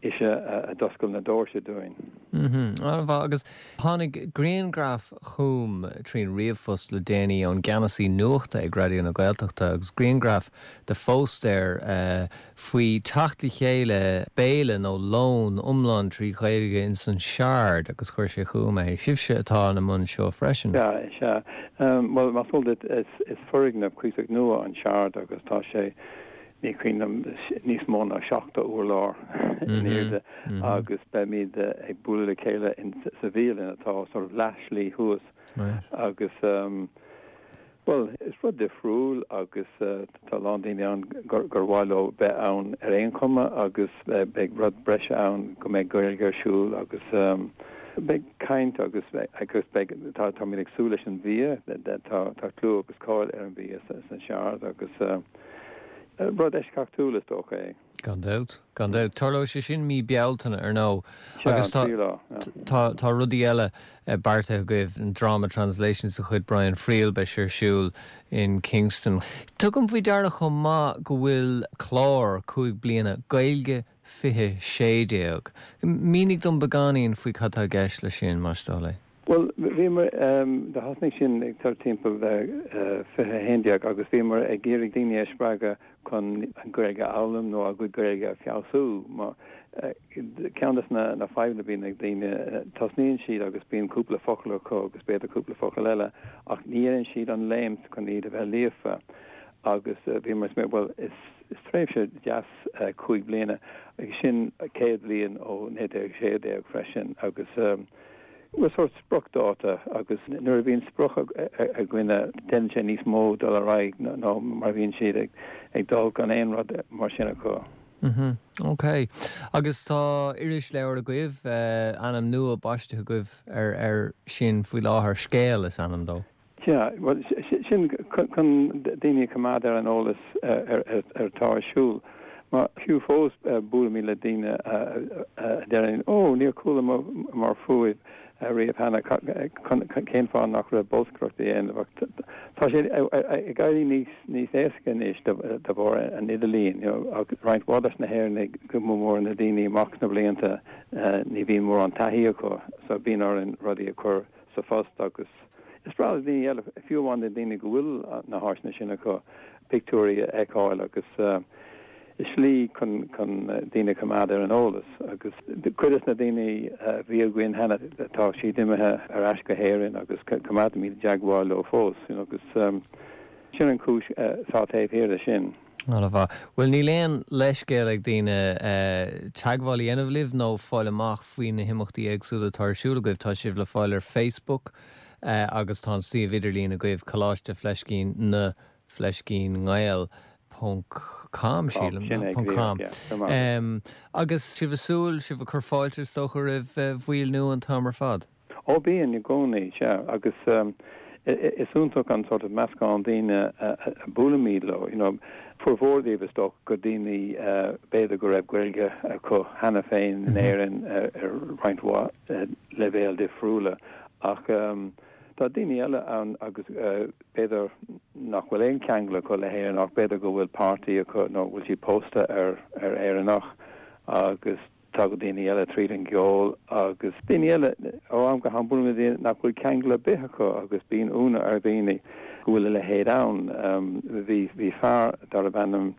ise a d'oscail na doirse dúinn. Mm -hmm. agus tháinig grianghraf chugam trín ríomhphost le déanaí ón gceannasaí nuachta ag Raidió na Gaeltachta agus grianghraf de phóstaer uh, faoi teacht le chéile béile nó lón iomlán trí Ghaeilge in san Shard agus chuir sé chugam é. Sibhse atá ina mbun seo freisin. Ja, sea. Um, well más eol duit is, is foirgneamh cuíosach nua an Shard agus tá sé ní cuimhin níos mó ná seachtó urlár in airde agus beimid ag bualadh le chéile in sa bhialann atá sort of leathshlí thuas agus um, well is rud difriúil agus uh, tá lán daoine ann gur gur mhaith leo bheith ann ar aon chuma agus uh, beidh rud breise ann go mbeidh Gaeilge ar siúl agus um, beidh caint agus agus beidh tá táimid ag súil leis an bhia tá tá clú agus cáil ar an bhia san Shard agus uh, rud eisceachtúil is dócha é. Gan dabht, gan dabht. Tarlóidh sé sin mí Bealtaine ar ndóigh agus tá tá tá rudaí eile beartaithe agaibh an drama translations de chuid Brian Friel beidh sé ar siúl in Kingston. Tugaim faoi deara chomh maith go bhfuil clár cúig bliana Gaeilge fiche sé déag. Mínigh dom beagáinín faoi cad tá i gceist leis sin más dóigh leat. Well bhíomar um, do thosnaigh sin ag tar timpeall uh, fiche haon déag agus bhíomar ag iarraidh daoine a spreagadh chun an Ghaeilge a fhoghlaim nó a gcuid Gaeilge a fheabhsú mar uh, ceann des na na fadhbanna a bhíonn ag daoine uh, tosnaíonn siad agus bíonn cúpla focal acu agus b'fhéidir cúpla focal eile ach ní dhéanann siad an léim chun iad a bheith líofa agus uh, bhíomar ag well is is tréimhse deas uh, cúig bliana agus sin céad bliain ó naoi déag sé déag freisin agus um, Well sort spriocdháta agus nuair a bhíonn sprioc ag duine déanann sé níos mó dul ar aghaidh ná mar bhíonn siad ag ag dul gan aon rud mar sin acu. Mhm. Ok. Agus tá irisleabhar agaibh uh, ainm nua baiste agaibh ar ar sin faoi láthair scéal is ainm dó. Ja, well sin chun daoine coimeád ar an eolas ar ar ar atá ar siúl. Mar fiú fós buailimid le daoine a deireann ó níor chualamar fúibh riamh cheana cén fáth nach raibh bolscaireacht á dhéanamh. Tá sé ag éirí níos níos éasca anois de bharr an idirlín roinnt mhaith des na hÉireannaigh go mór na daoine amach na blianta ní bhíonn mórán taithí acu so bíonn orainn rudaí a chur sa phost agus is breá le daoine eile fiú amháin na daoine go bhfuil na háiseanna sin acu pictiúirí a fheiceáil agus is slí chun chun daoine coimeád ar an eolas agus cuid des na daoine a bhí againn cheana tá siad imithe ar ais go hÉirinn agus coimeádaimid i dteagmháil leo fós you know, agus um, sin an chúis atá taobh thiar de sin. An-mhaith. Well níl aon leithscéal ag daoine teagmháil a dhéanamh libh nó fáil amach faoi na himeachtaí éagsúla atá ar siúl agaibh tá sibh le fáil ar Facebook, agus tá an suíomh idirlín agaibh coláiste fleiscín na fleiscín nGael ponc com sílim ponc com. Agus sibh ag súil sibh ag cur fáilte is dócha roimh bhaill nua an t-am ar fad. Ó bíonn i gcónaí, sea, agus is iontach an sort of meascán daoine a buailimid leo, you know, formhór díobh is dócha gur daoine b'fhéidir go raibh Gaeilge acu cheana féin in Éirinn ar roinnt mhaith leibhéal difriúla ach tá daoine eile ann agus b'fhéidir nach bhfuil aon cheangal acu le hÉirinn ach b'fhéidir go bhfuil páirtí acu nó bhfuil siad pósta ar ar Éireannach agus tagann daoine eile tríd an gceol agus daoine eile ó am go ham buailimid le daoine nach bhfuil ceangal ar bith acu agus bíonn ionadh ar dhaoine go bhfuil a leithéid ann. Bhí bhí fear darbh ainm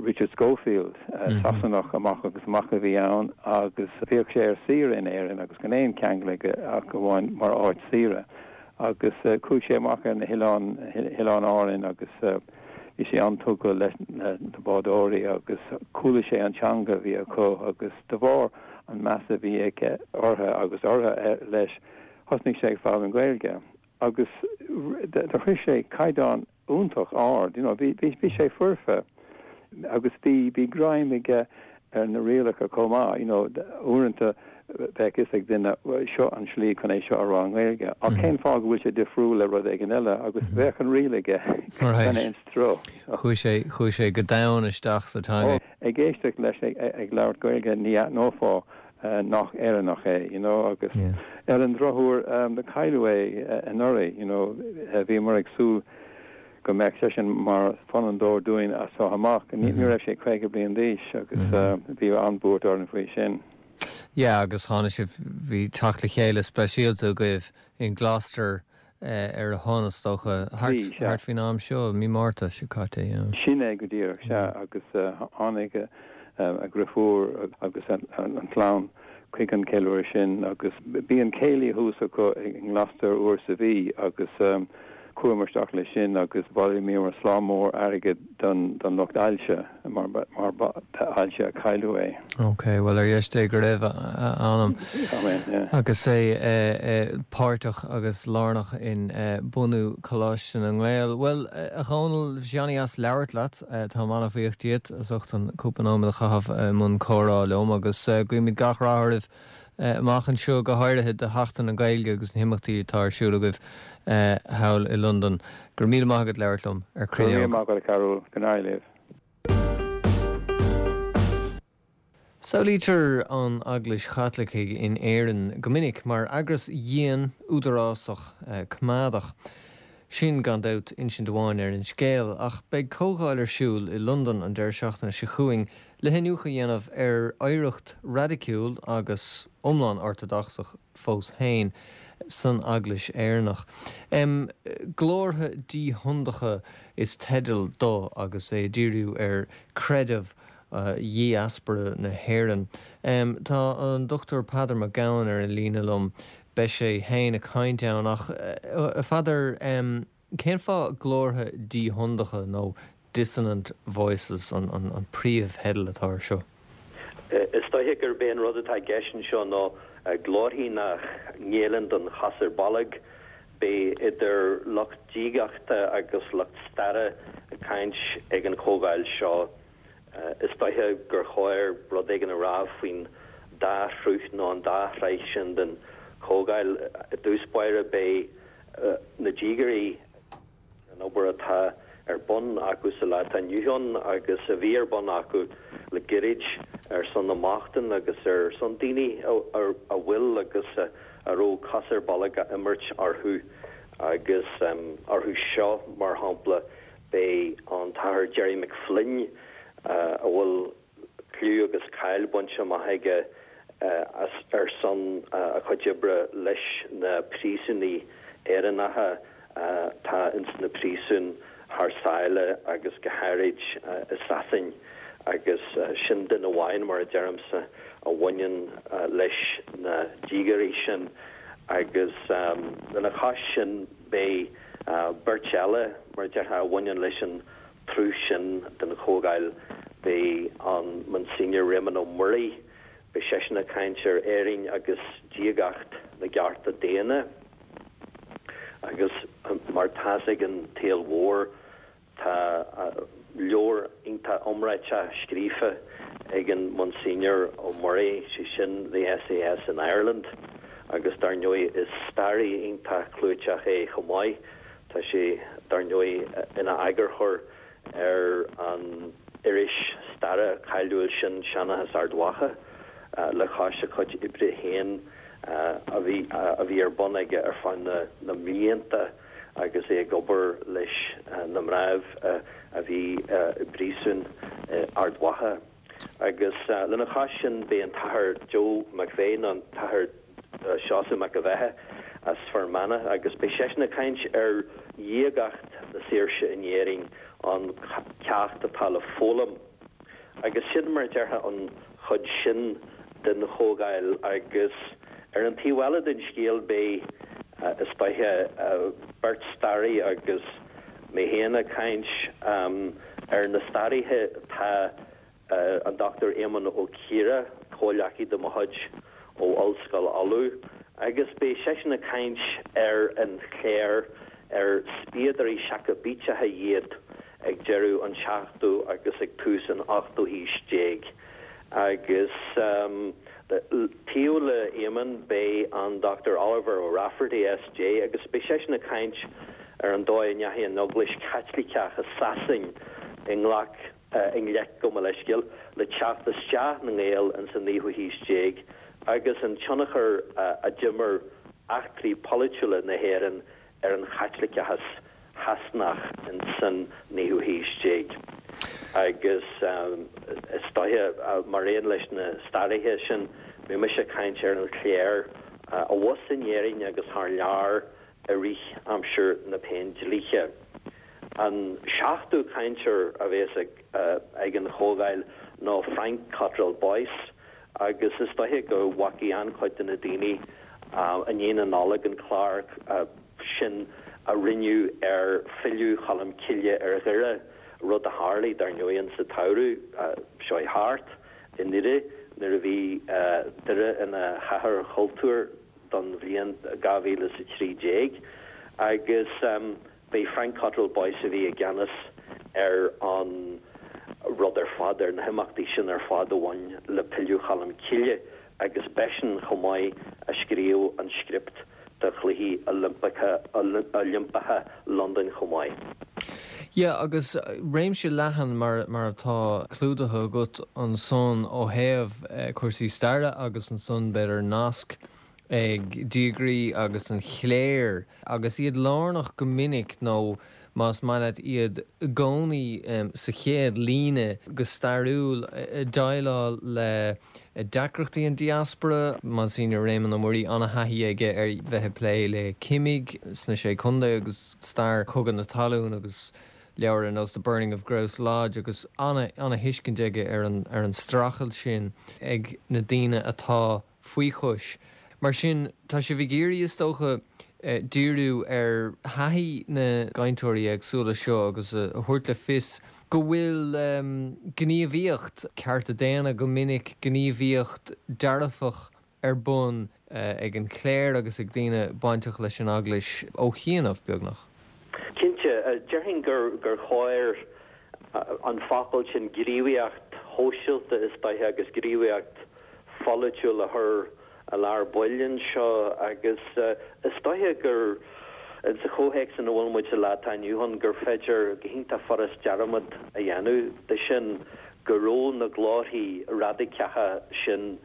Richard Schofield, Sasanach amach agus amach a bhí ann agus bhíodh sé ar saoire in Éirinn agus gan aon cheangal aige ach amháin mar áit saoire agus chuaigh sé amach ar na hoileáin, Oileáin Árainn agus bhí sé an-tugtha leis na bádóirí agus chuala sé an teanga a bhí acu agus de bharr an meas a bhí aige orthu agus orthu leis thosnaigh sé ag foghlaim Gaeilge agus do shroich sé caighdeán iontach ard, you know, bhí bhí sé foirfe agus bhí bhí greim aige ar na rialacha chomh maith, you know, uaireanta bheadh fhios ag duine seo an slí chun é seo a rá i nGaeilge. Ach cén fáth go bhfuil sé difriúil le rud éigin eile agus bheadh an riail aige gan aon stró. Chuaigh sé chuaigh sé go domhain isteach sa teanga. Ag éisteacht leis ag labhairt Gaeilge ní aithneofá nach Éireannach é, you know, agus ar an drochuair do cailleadh é anuraidh, you know, bhíomar ag súil go mbeadh seisean mar fondúir dúinn as seo amach. Ní raibh sé caoga bliain d'aois agus bhí an-bhuairt orainn faoi sin. Yeah, agus tháinig sibh, bhí teacht le chéile speisialta agaibh in Gloucester ar a shon is dócha, thart faoin am seo, mí Márta seo caite, yeah. Sin é go díreach, sea, agus tháinig a dheirfiúr agus an chlann chuig an cheiliúradh sin agus bíonn céilí thuas acu i nGloucester uair sa mhí agus chuamar isteach leis sin agus bhailíomar slám mór airgid don don lucht ailse mar mar ba ailse a cailleadh é. Ok, bhuel ar dheis Dé go raibh a anam. Amen, yeah. Agus é páirteach agus lárnach in bunú Coláiste na nGael. Bhuel, a Dhónaill, bhí sé an-deas labhairt leat, táim an-bhuíoch díot as ucht an cúpla nóiméad a chaitheamh i mbun comhrá liom agus guímid gach rath oraibh amach anseo, go háirithe do Sheachtain na Gaeilge agus na himeachtaí atá ar siúl agaibh thall i Londain. Go raibh míle maith agat labhairt liom ar Go raibh míle maith agat a Chearbhaill, go n-éirí libh. Samhlaítear an Eaglais Chaitlicigh in Éirinn go minic mar eagras dhian, údarásach, coimeádach. Sin, gan dabht, insint amháin ar an scéal, ach beidh comhdháil ar siúl i Londain an deireadh seachtaine seo chugainn le hiniúchadh a dhéanamh ar oidhreacht raidiciúil agus iomlán ortadocsach fós féin san Eaglais Éireannach. Glórtha Díshondacha is teideal dó agus é ag díriú ar chreideamh dhiaspóra na hÉireann. Tá an Dochtúir Peadar Mac Gabhann ar an líne liom. Beidh sé féin ag caint ann ach, a Pheadair, cén fáth glórtha díshondacha nó dissonant voices an príomhtheideal atá air seo? Is dóiche gurb é an rud atá i gceist anseo ná glórthaí nach ngéilleann don chos ar bolg. Beidh idir lucht diagachta agus lucht staire ag caint ag an chomhdháil seo. Is dóiche gur chóir rud éigin a rá faoin dá shruth nó an dá shraith sin den chomhdháil. I dtús báire beidh na diagairí, an obair atá ar bun acu sa lá atá inniu ann agus a bhí ar bun acu le gairid ar son na mbochtán agus ar son daoine a bhfuil agus a raibh cos ar bolg á imirt orthu agus orthu seo, mar shampla, beidh an tAthair Gerry McFlynn a bhfuil clú agus cáil bainte amach aige as ar son a chuid oibre leis na príosúnaigh Éireannacha atá ins na príosúin thar sáile agus go háirid i Sasain agus sin duine amháin, mar a deirimse, a bhaineann leis na diagairí sin agus lena chois sin beidh beirt eile, mar a déarfá, a bhaineann leis an tsruth sin den chomhdháil. Beidh an Monsignor Réamonn Ó Muirí, beidh seisean ag caint ar Éirinn agus diagacht na gcearta daonna. Agus mar tá's ag an tsaol mhór tá leabhar iontach iomráiteach scríofa ag an Monsignor Ó Muirí, sé sin The SAS in Ireland, agus dar ndóigh is staraí iontach clúiteach é chomh maith. Tá sé dar ndóigh ina eagarthóir ar an iris staire cáiliúil sin Seanchas Ard Mhacha le cois a chuid oibre féin a bhí a bhí ar bun aige ar feadh na na mblianta agus é ag obair leis na mnáibh a bhí i bpríosún Ard Mhacha. Agus lena chois sin beidh an tAthair Joe McVeigh nó an tAthair Seosamh Mac an Bheatha as Fear Manach agus beidh seisean ag caint ar dhiagacht na saoirse in Éirinn, an ceacht atá le foghlaim. Agus sin mar a déarfá an chuid sin den chomhdháil agus ar an taobh eile den scéal beidh is dóiche beirt staraí agus mé féin ag caint ar na staraithe tá an Dochtúir Éamonn Ó Ciardha, comhghleacaí de mo chuid ó Ollscoil Uladh, agus beidh seisean ag caint ar an chléir ar spiadóirí Seacaibíteacha iad ag deireadh an tseachtú agus ag tús an ochtú haois déag. Agus taobh le Éamonn beidh an Dochtúir Oliver O'Rafferty SJ agus beidh seisean ag caint ar an dóigh a ndeachaigh an Eaglais Chaitliceach i Sasain i ngleic i ngleic, gabh mo leithscéal, le teacht isteach na nGael ins an naoú haois déag agus an tionchar a d'imir eachtraí polaitiúla na hÉireann ar an Chaitliceachas Shasanach ins an naoú haois déag. Agus is dóiche, mar aon leis na staraithe sin, beidh mise ag caint ar an chléir abhus in Éirinn agus thar lear i rith aimsir na Péindlíthe. An seachtú cainteoir a bheas ag an chomhdháil ná Frank Cottrell Boyce agus is dóiche go bhfacaidh an-chuid de na daoine i ndiaidh na Nollag an clár sin a rinneadh ar Philleadh Cholm Cille ar Dhoire, rud a tharlaigh, dar ndóigh, insa tsamhradh seo thart i nDoire nuair a bhí Doire ina chathair chultúir don bhliain dhá mhíle is a trí déag. Agus b'é Frank Cottrell Boyce a bhí i gceannas ar an rud ar fad, ar na himeachtaí sin ar fad a bhain le Pilleadh Cholm Cille agus b'eisean chomh maith a scríobh an script do Chluichí Oilimpeacha Londain chomh maith. Yeah, agus réimse leathan mar mar atá clúdaithe agat ansan ó thaobh cúrsaí staire agus ansan b'fhéidir nasc ag diagairí agus an chléir agus iad lárnach go minic nó más maith leat iad i gcónaí sa chéad líne go stairiúil ag déileáil le deacrachtaí an diaspora. Monsignor Réamonn Ó Muirí an-thaithí aige ar bheith ag plé le cimigh sna Sé Chontae agus stair Chogadh na Talún agus leabhair ar nós The Burning of Grouse Lodge agus an-thuiscint aige ar an ar an streachailt sin ag na daoine atá faoi chois. Mar sin, tá sibh ag iarraidh, is dócha, díriú ar thaithí na gcainteoirí éagsúla seo agus a thabhairt le fios go bhfuil gníomhaíocht cearta daonna, go minic gníomhaíocht dearfach ar bun ag an chléir agus ag daoine bainteach leis an Eaglais ó chianaibh, beagnach. Cinnte, déarfainn gur chóir an focal sin gníomhaíocht shóisialta is dóiche agus gníomhaíocht pholaitiúil a chur i lár baill anseo agus is dóiche gur insa chomhthéacs ina bhfuil muid sa lá atá inniu ann gur féidir go hiontach furast dearmad a dhéanamh de sin go raibh na glórthaí raidiceacha sin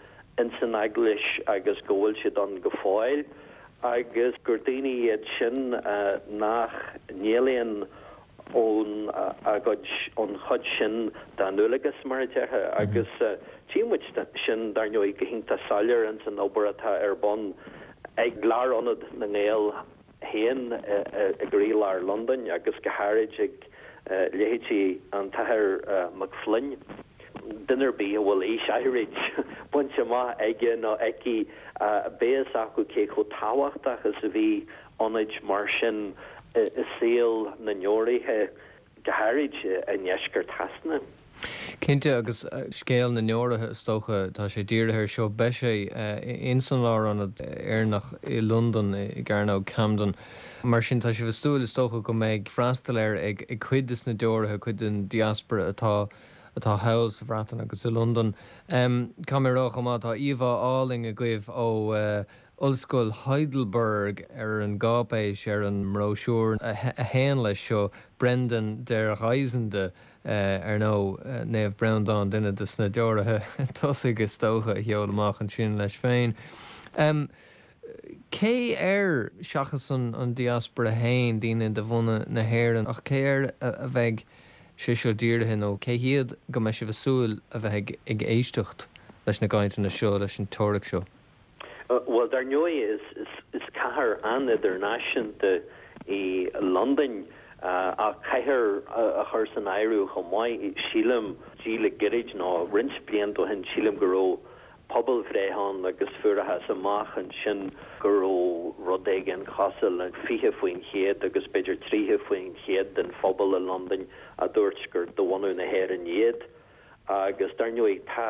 insan Eaglais agus go bhfuil siad ann go fóill agus gur daoine iad sin nach n-éalaíonn ón a gcuid, ón chuid sin dá ndualgas, mar a déarfá, agus tchí muid sin, dar ndóigh, go hiontach soiléir ins an obair atá ar bun ag Lárionad na nGael féin i gcroílár Londain agus go háirid ag leithéidí an tAthair Mac Floinn. Duine ar bith a bhfuil aois áirid bainte amach aige nó aici, beidh fhios acu cé chomh tábhachtach is a bhí ionaid mar sin i saol na ndeoraithe, go háirid i ndeisceart Shasana. Cinnte agus scéal na ndeoraithe is dócha tá sé dírithe air seo beidh sé in san Lárionad Éireannach i Londain i gCearnóg Camden. Mar sin tá sibh ag súil is dócha go mbeidh freastal air ag ag cuid des na deoraithe cuid den diaspora atá atá thall sa Bhreatain agus i Londain. Um, Tá mé rá chomh maith tá íomhá álainn agaibh ó uh, Ollscoil Heidelberg ar an gcáipéis ar an mbróisiúr a théann leis seo Brendan der Reisende uh, ar nó uh, Naomh Breandán duine des na deoraithe tosaigh is dócha a sheol amach ansin leis féin. Um, Cé air seachas an, an diaspora féin daoine de bhunadh na hÉireann ach cé air a, a bheidh sé seo dírithe nó cé hiad go mbeidh sibh ag súil a bheith ag, ag éisteacht leis na cainteanna seo leis an teoiric seo. Uh, well dar ndóigh is, is, is cathair an-idirnáisiúnta í Londain uh, ach caithfear uh, a chur san áireamh chomh maith sílim dí le gairid nó roinnt blianta ó shin sílim go raibh pobalbhreith ann agus fuarthas amach ansin go raibh rud éigin cosúil le fiche faoin chéad agus b'fhéidir tríocha faoin chéad den phobal i Londain a dúirt gur de bhunadh na hÉireann iad agus dar ndóigh tá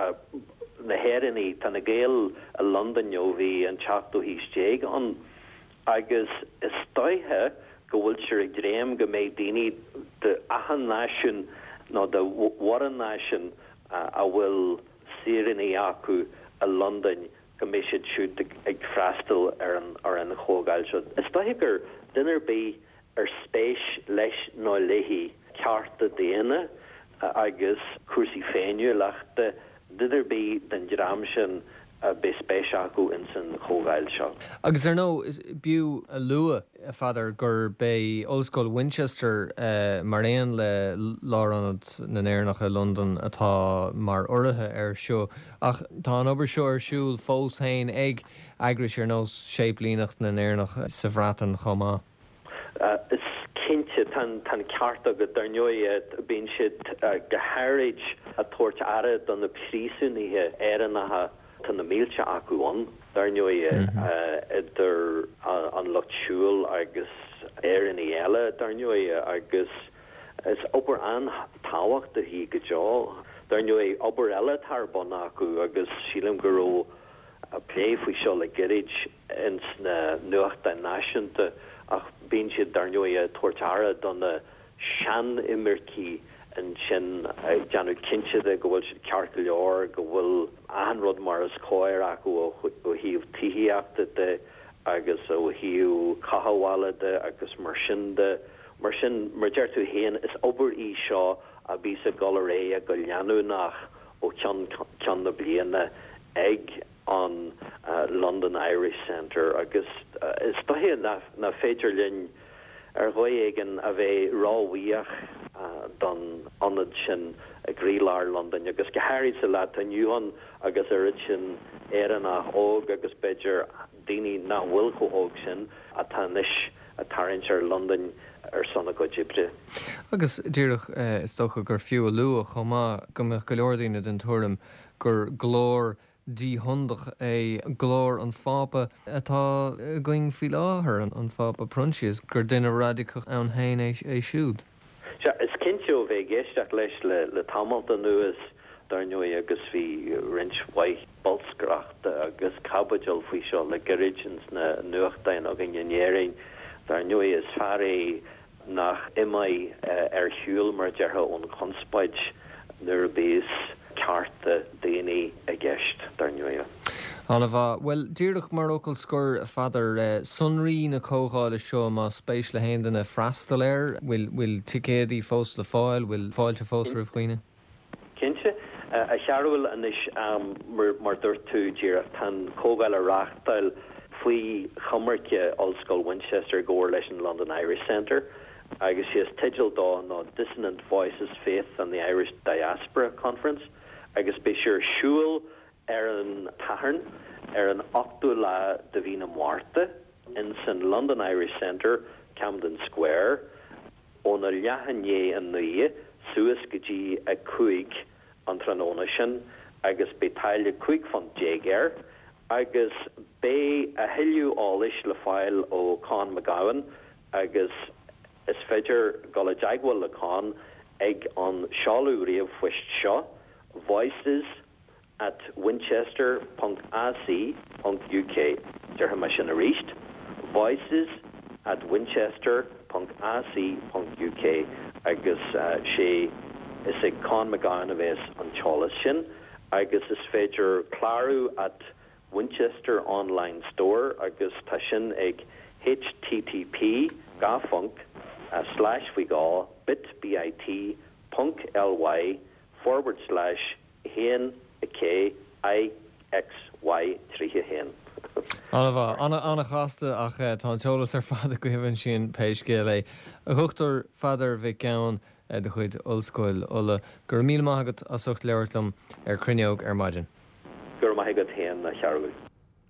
na hÉireannaigh tá na Gaeil i Londain ó bhí an tseachtú haois déag ann agus is dóiche go bhfuiltear ag dréim go mbeidh daoine de achan náisiún nó de mhórán náisiún a bhfuil saoránaigh acu i Londain go mbeidh siad siúd ag freastal ar an ar an chomhdháil seo. Is dóiche gur duine ar bith ar spéis leis nó léi cearta daonna agus cúrsaí féiniúlachta duine ar bith den dream sin beidh spéis acu in san chomhdháil seo. Agus ar ndóigh b'fhiú a lua a Pheadair gurb é Ollscoil Winchester uh, mar aon le Lárionad na nÉireannach i Londain atá mar urraithe air seo ach tá an obair seo ar siúl fós féin ag eagrais ar nós Séiplíneacht na nÉireannach sa Bhreatain chomh maith. Uh, is cinnte tá an ceart agat dar ndóigh bíonn siad uh, go háirid ag tabhairt aire do na príosúnaithe Éireannacha tá na mílte acu ann dar ndóigh idir an lucht siúil agus Éireannaigh eile dar ndóigh agus is obair an-tábhachtach í go deo. Dar ndóigh obair eile atá ar bun acu agus sílim go raibh plé faoi seo le gairid ins na nuachtáin náisiúnta ach bíonn siad dar ndóigh ag tabhairt aire do na sean-imircigh ansin ag déanamh cinnte de go bhfuil siad ceart go leor go bhfuil an rud mar is cóir acu ó thaobh tithíochta de agus ó thaobh cothabhála de agus mar sin de mar sin mar deir tú féin is obair í seo a bhíos ag dul ar aghaidh go leanúnach ó cheann ceann na bliana ag an uh, London Irish Centre agus uh, is dóiche nach féidir linn ar dhóigh éigin a bheith róbhuíoch uh, don ionad sin i gcroílár Londain agus go háirid sa lá atá inniu ann agus oiread sin Éireannach óg agus b'fhéidir daoine nach bhfuil chomh hóg sin atá anois ag tarraingt ar Londain ar son a gcuid oibre. Agus díreach eh, is dócha gur fiú a lua chomh maith go mbeadh go leor daoine den tuairim gur glór díshondach é glór an Phápa atá againn faoi láthair an, an Phápa Proinsias gur duine radacach ann féin é, é siúd. Sea, is cinnte ó bheith ag éisteacht leis le, le tamall anuas dar ndóigh agus bhí roinnt mhaith bolscaireachta agus caibidil faoi seo le gairid ins na nuachtáin againn in Éirinn. Dar ndóigh is fear é nach imigh uh, ar shiúl mar a déarfá ón chonspóid nuair a bhíos cearta daoine i gceist dar ndóigh. An-mhaith well díreach mar fhocal scoir a Pheadair uh, sonraí na comhdhála seo má spéis le haon duine freastal air, bhfuil bhfuil ticéidí fós le fáil, bhfuil fáilte fós roimh dhaoine? Cinnte a chearúil anois um, mar, mar dúirt tú díreach tá an chomhdháil á reáchtáil faoi choimirce Ollscoil Winchester i gcomhar leis an London Irish Centre agus sé is teideal dó ná Dissonant Voices Faith and the Irish Diaspora Conference agus beidh sé ar siúl ar an Satharn ar an ochtú lá de mhí na Márta in san London Irish Centre, Camden Square, óna leath i ndiaidh a naoi suas go dtí a cúig an tráthnóna sin agus beidh táille cúig phunt déag air agus beidh a thuilleadh eolais le fáil ó Con McGowan agus is féidir dul i dteagmháil le Con ag an seoladh ríomhphoist seo voices at winchester ponc ac ponc uk Déarfaidh mé sin arís voices at winchester ponc ac ponc uk agus sé is ag Con McGowan a bheas an t-eolas sin agus is féidir clárú at Winchester Online Store agus tá sin ag http dhá phonc slash faoi dhó bit bit ponc ly forward slash haon a k i x y tríocha haon. An-mhaith an-chasta ach eh, tá an t-eolas ar fad agaibh ansin pé scéal é. A Dhochtúir Pheadair Mhic Gabhann eh, de chuid Ollscoil Uladh, go raibh míle maith agat as ucht labhairt liom ar Cruinneog ar maidin. Gur maith agat féin a Chearbhaill.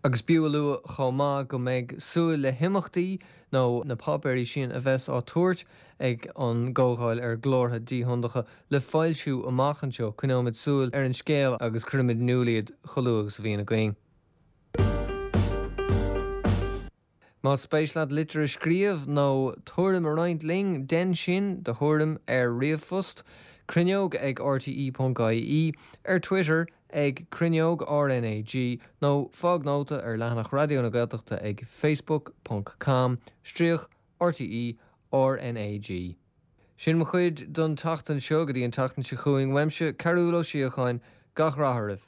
Agus b'fhiú a lua chomh maith go mbeidh súil le himeachtaí nó na páipéirí sin a bheas á dtabhairt ag an gcomhdháil ar ghlórtha díthiondacha le foilsiú amach anseo coinneoimid súil ar an scéal agus cuirfimid in iúl iad chomh luath agus a bhíonn againn. Más spéis leat litir a scríobh nó tuairim a roinnt linn, déan sin do thuairim ar ríomhphost, cruinneog ag rte.ie, ar Twitter ag cruinneog RNAG nó fág nóta ar leathanach Raidió na Gaeltachta ag facebook ponc com stríoc rte RNAG. Sin mo chuid don tseachtain seo go dtí an tseachtain seo chugainn uaimse, Cearbhall Ó Síocháin, gach rath oraibh.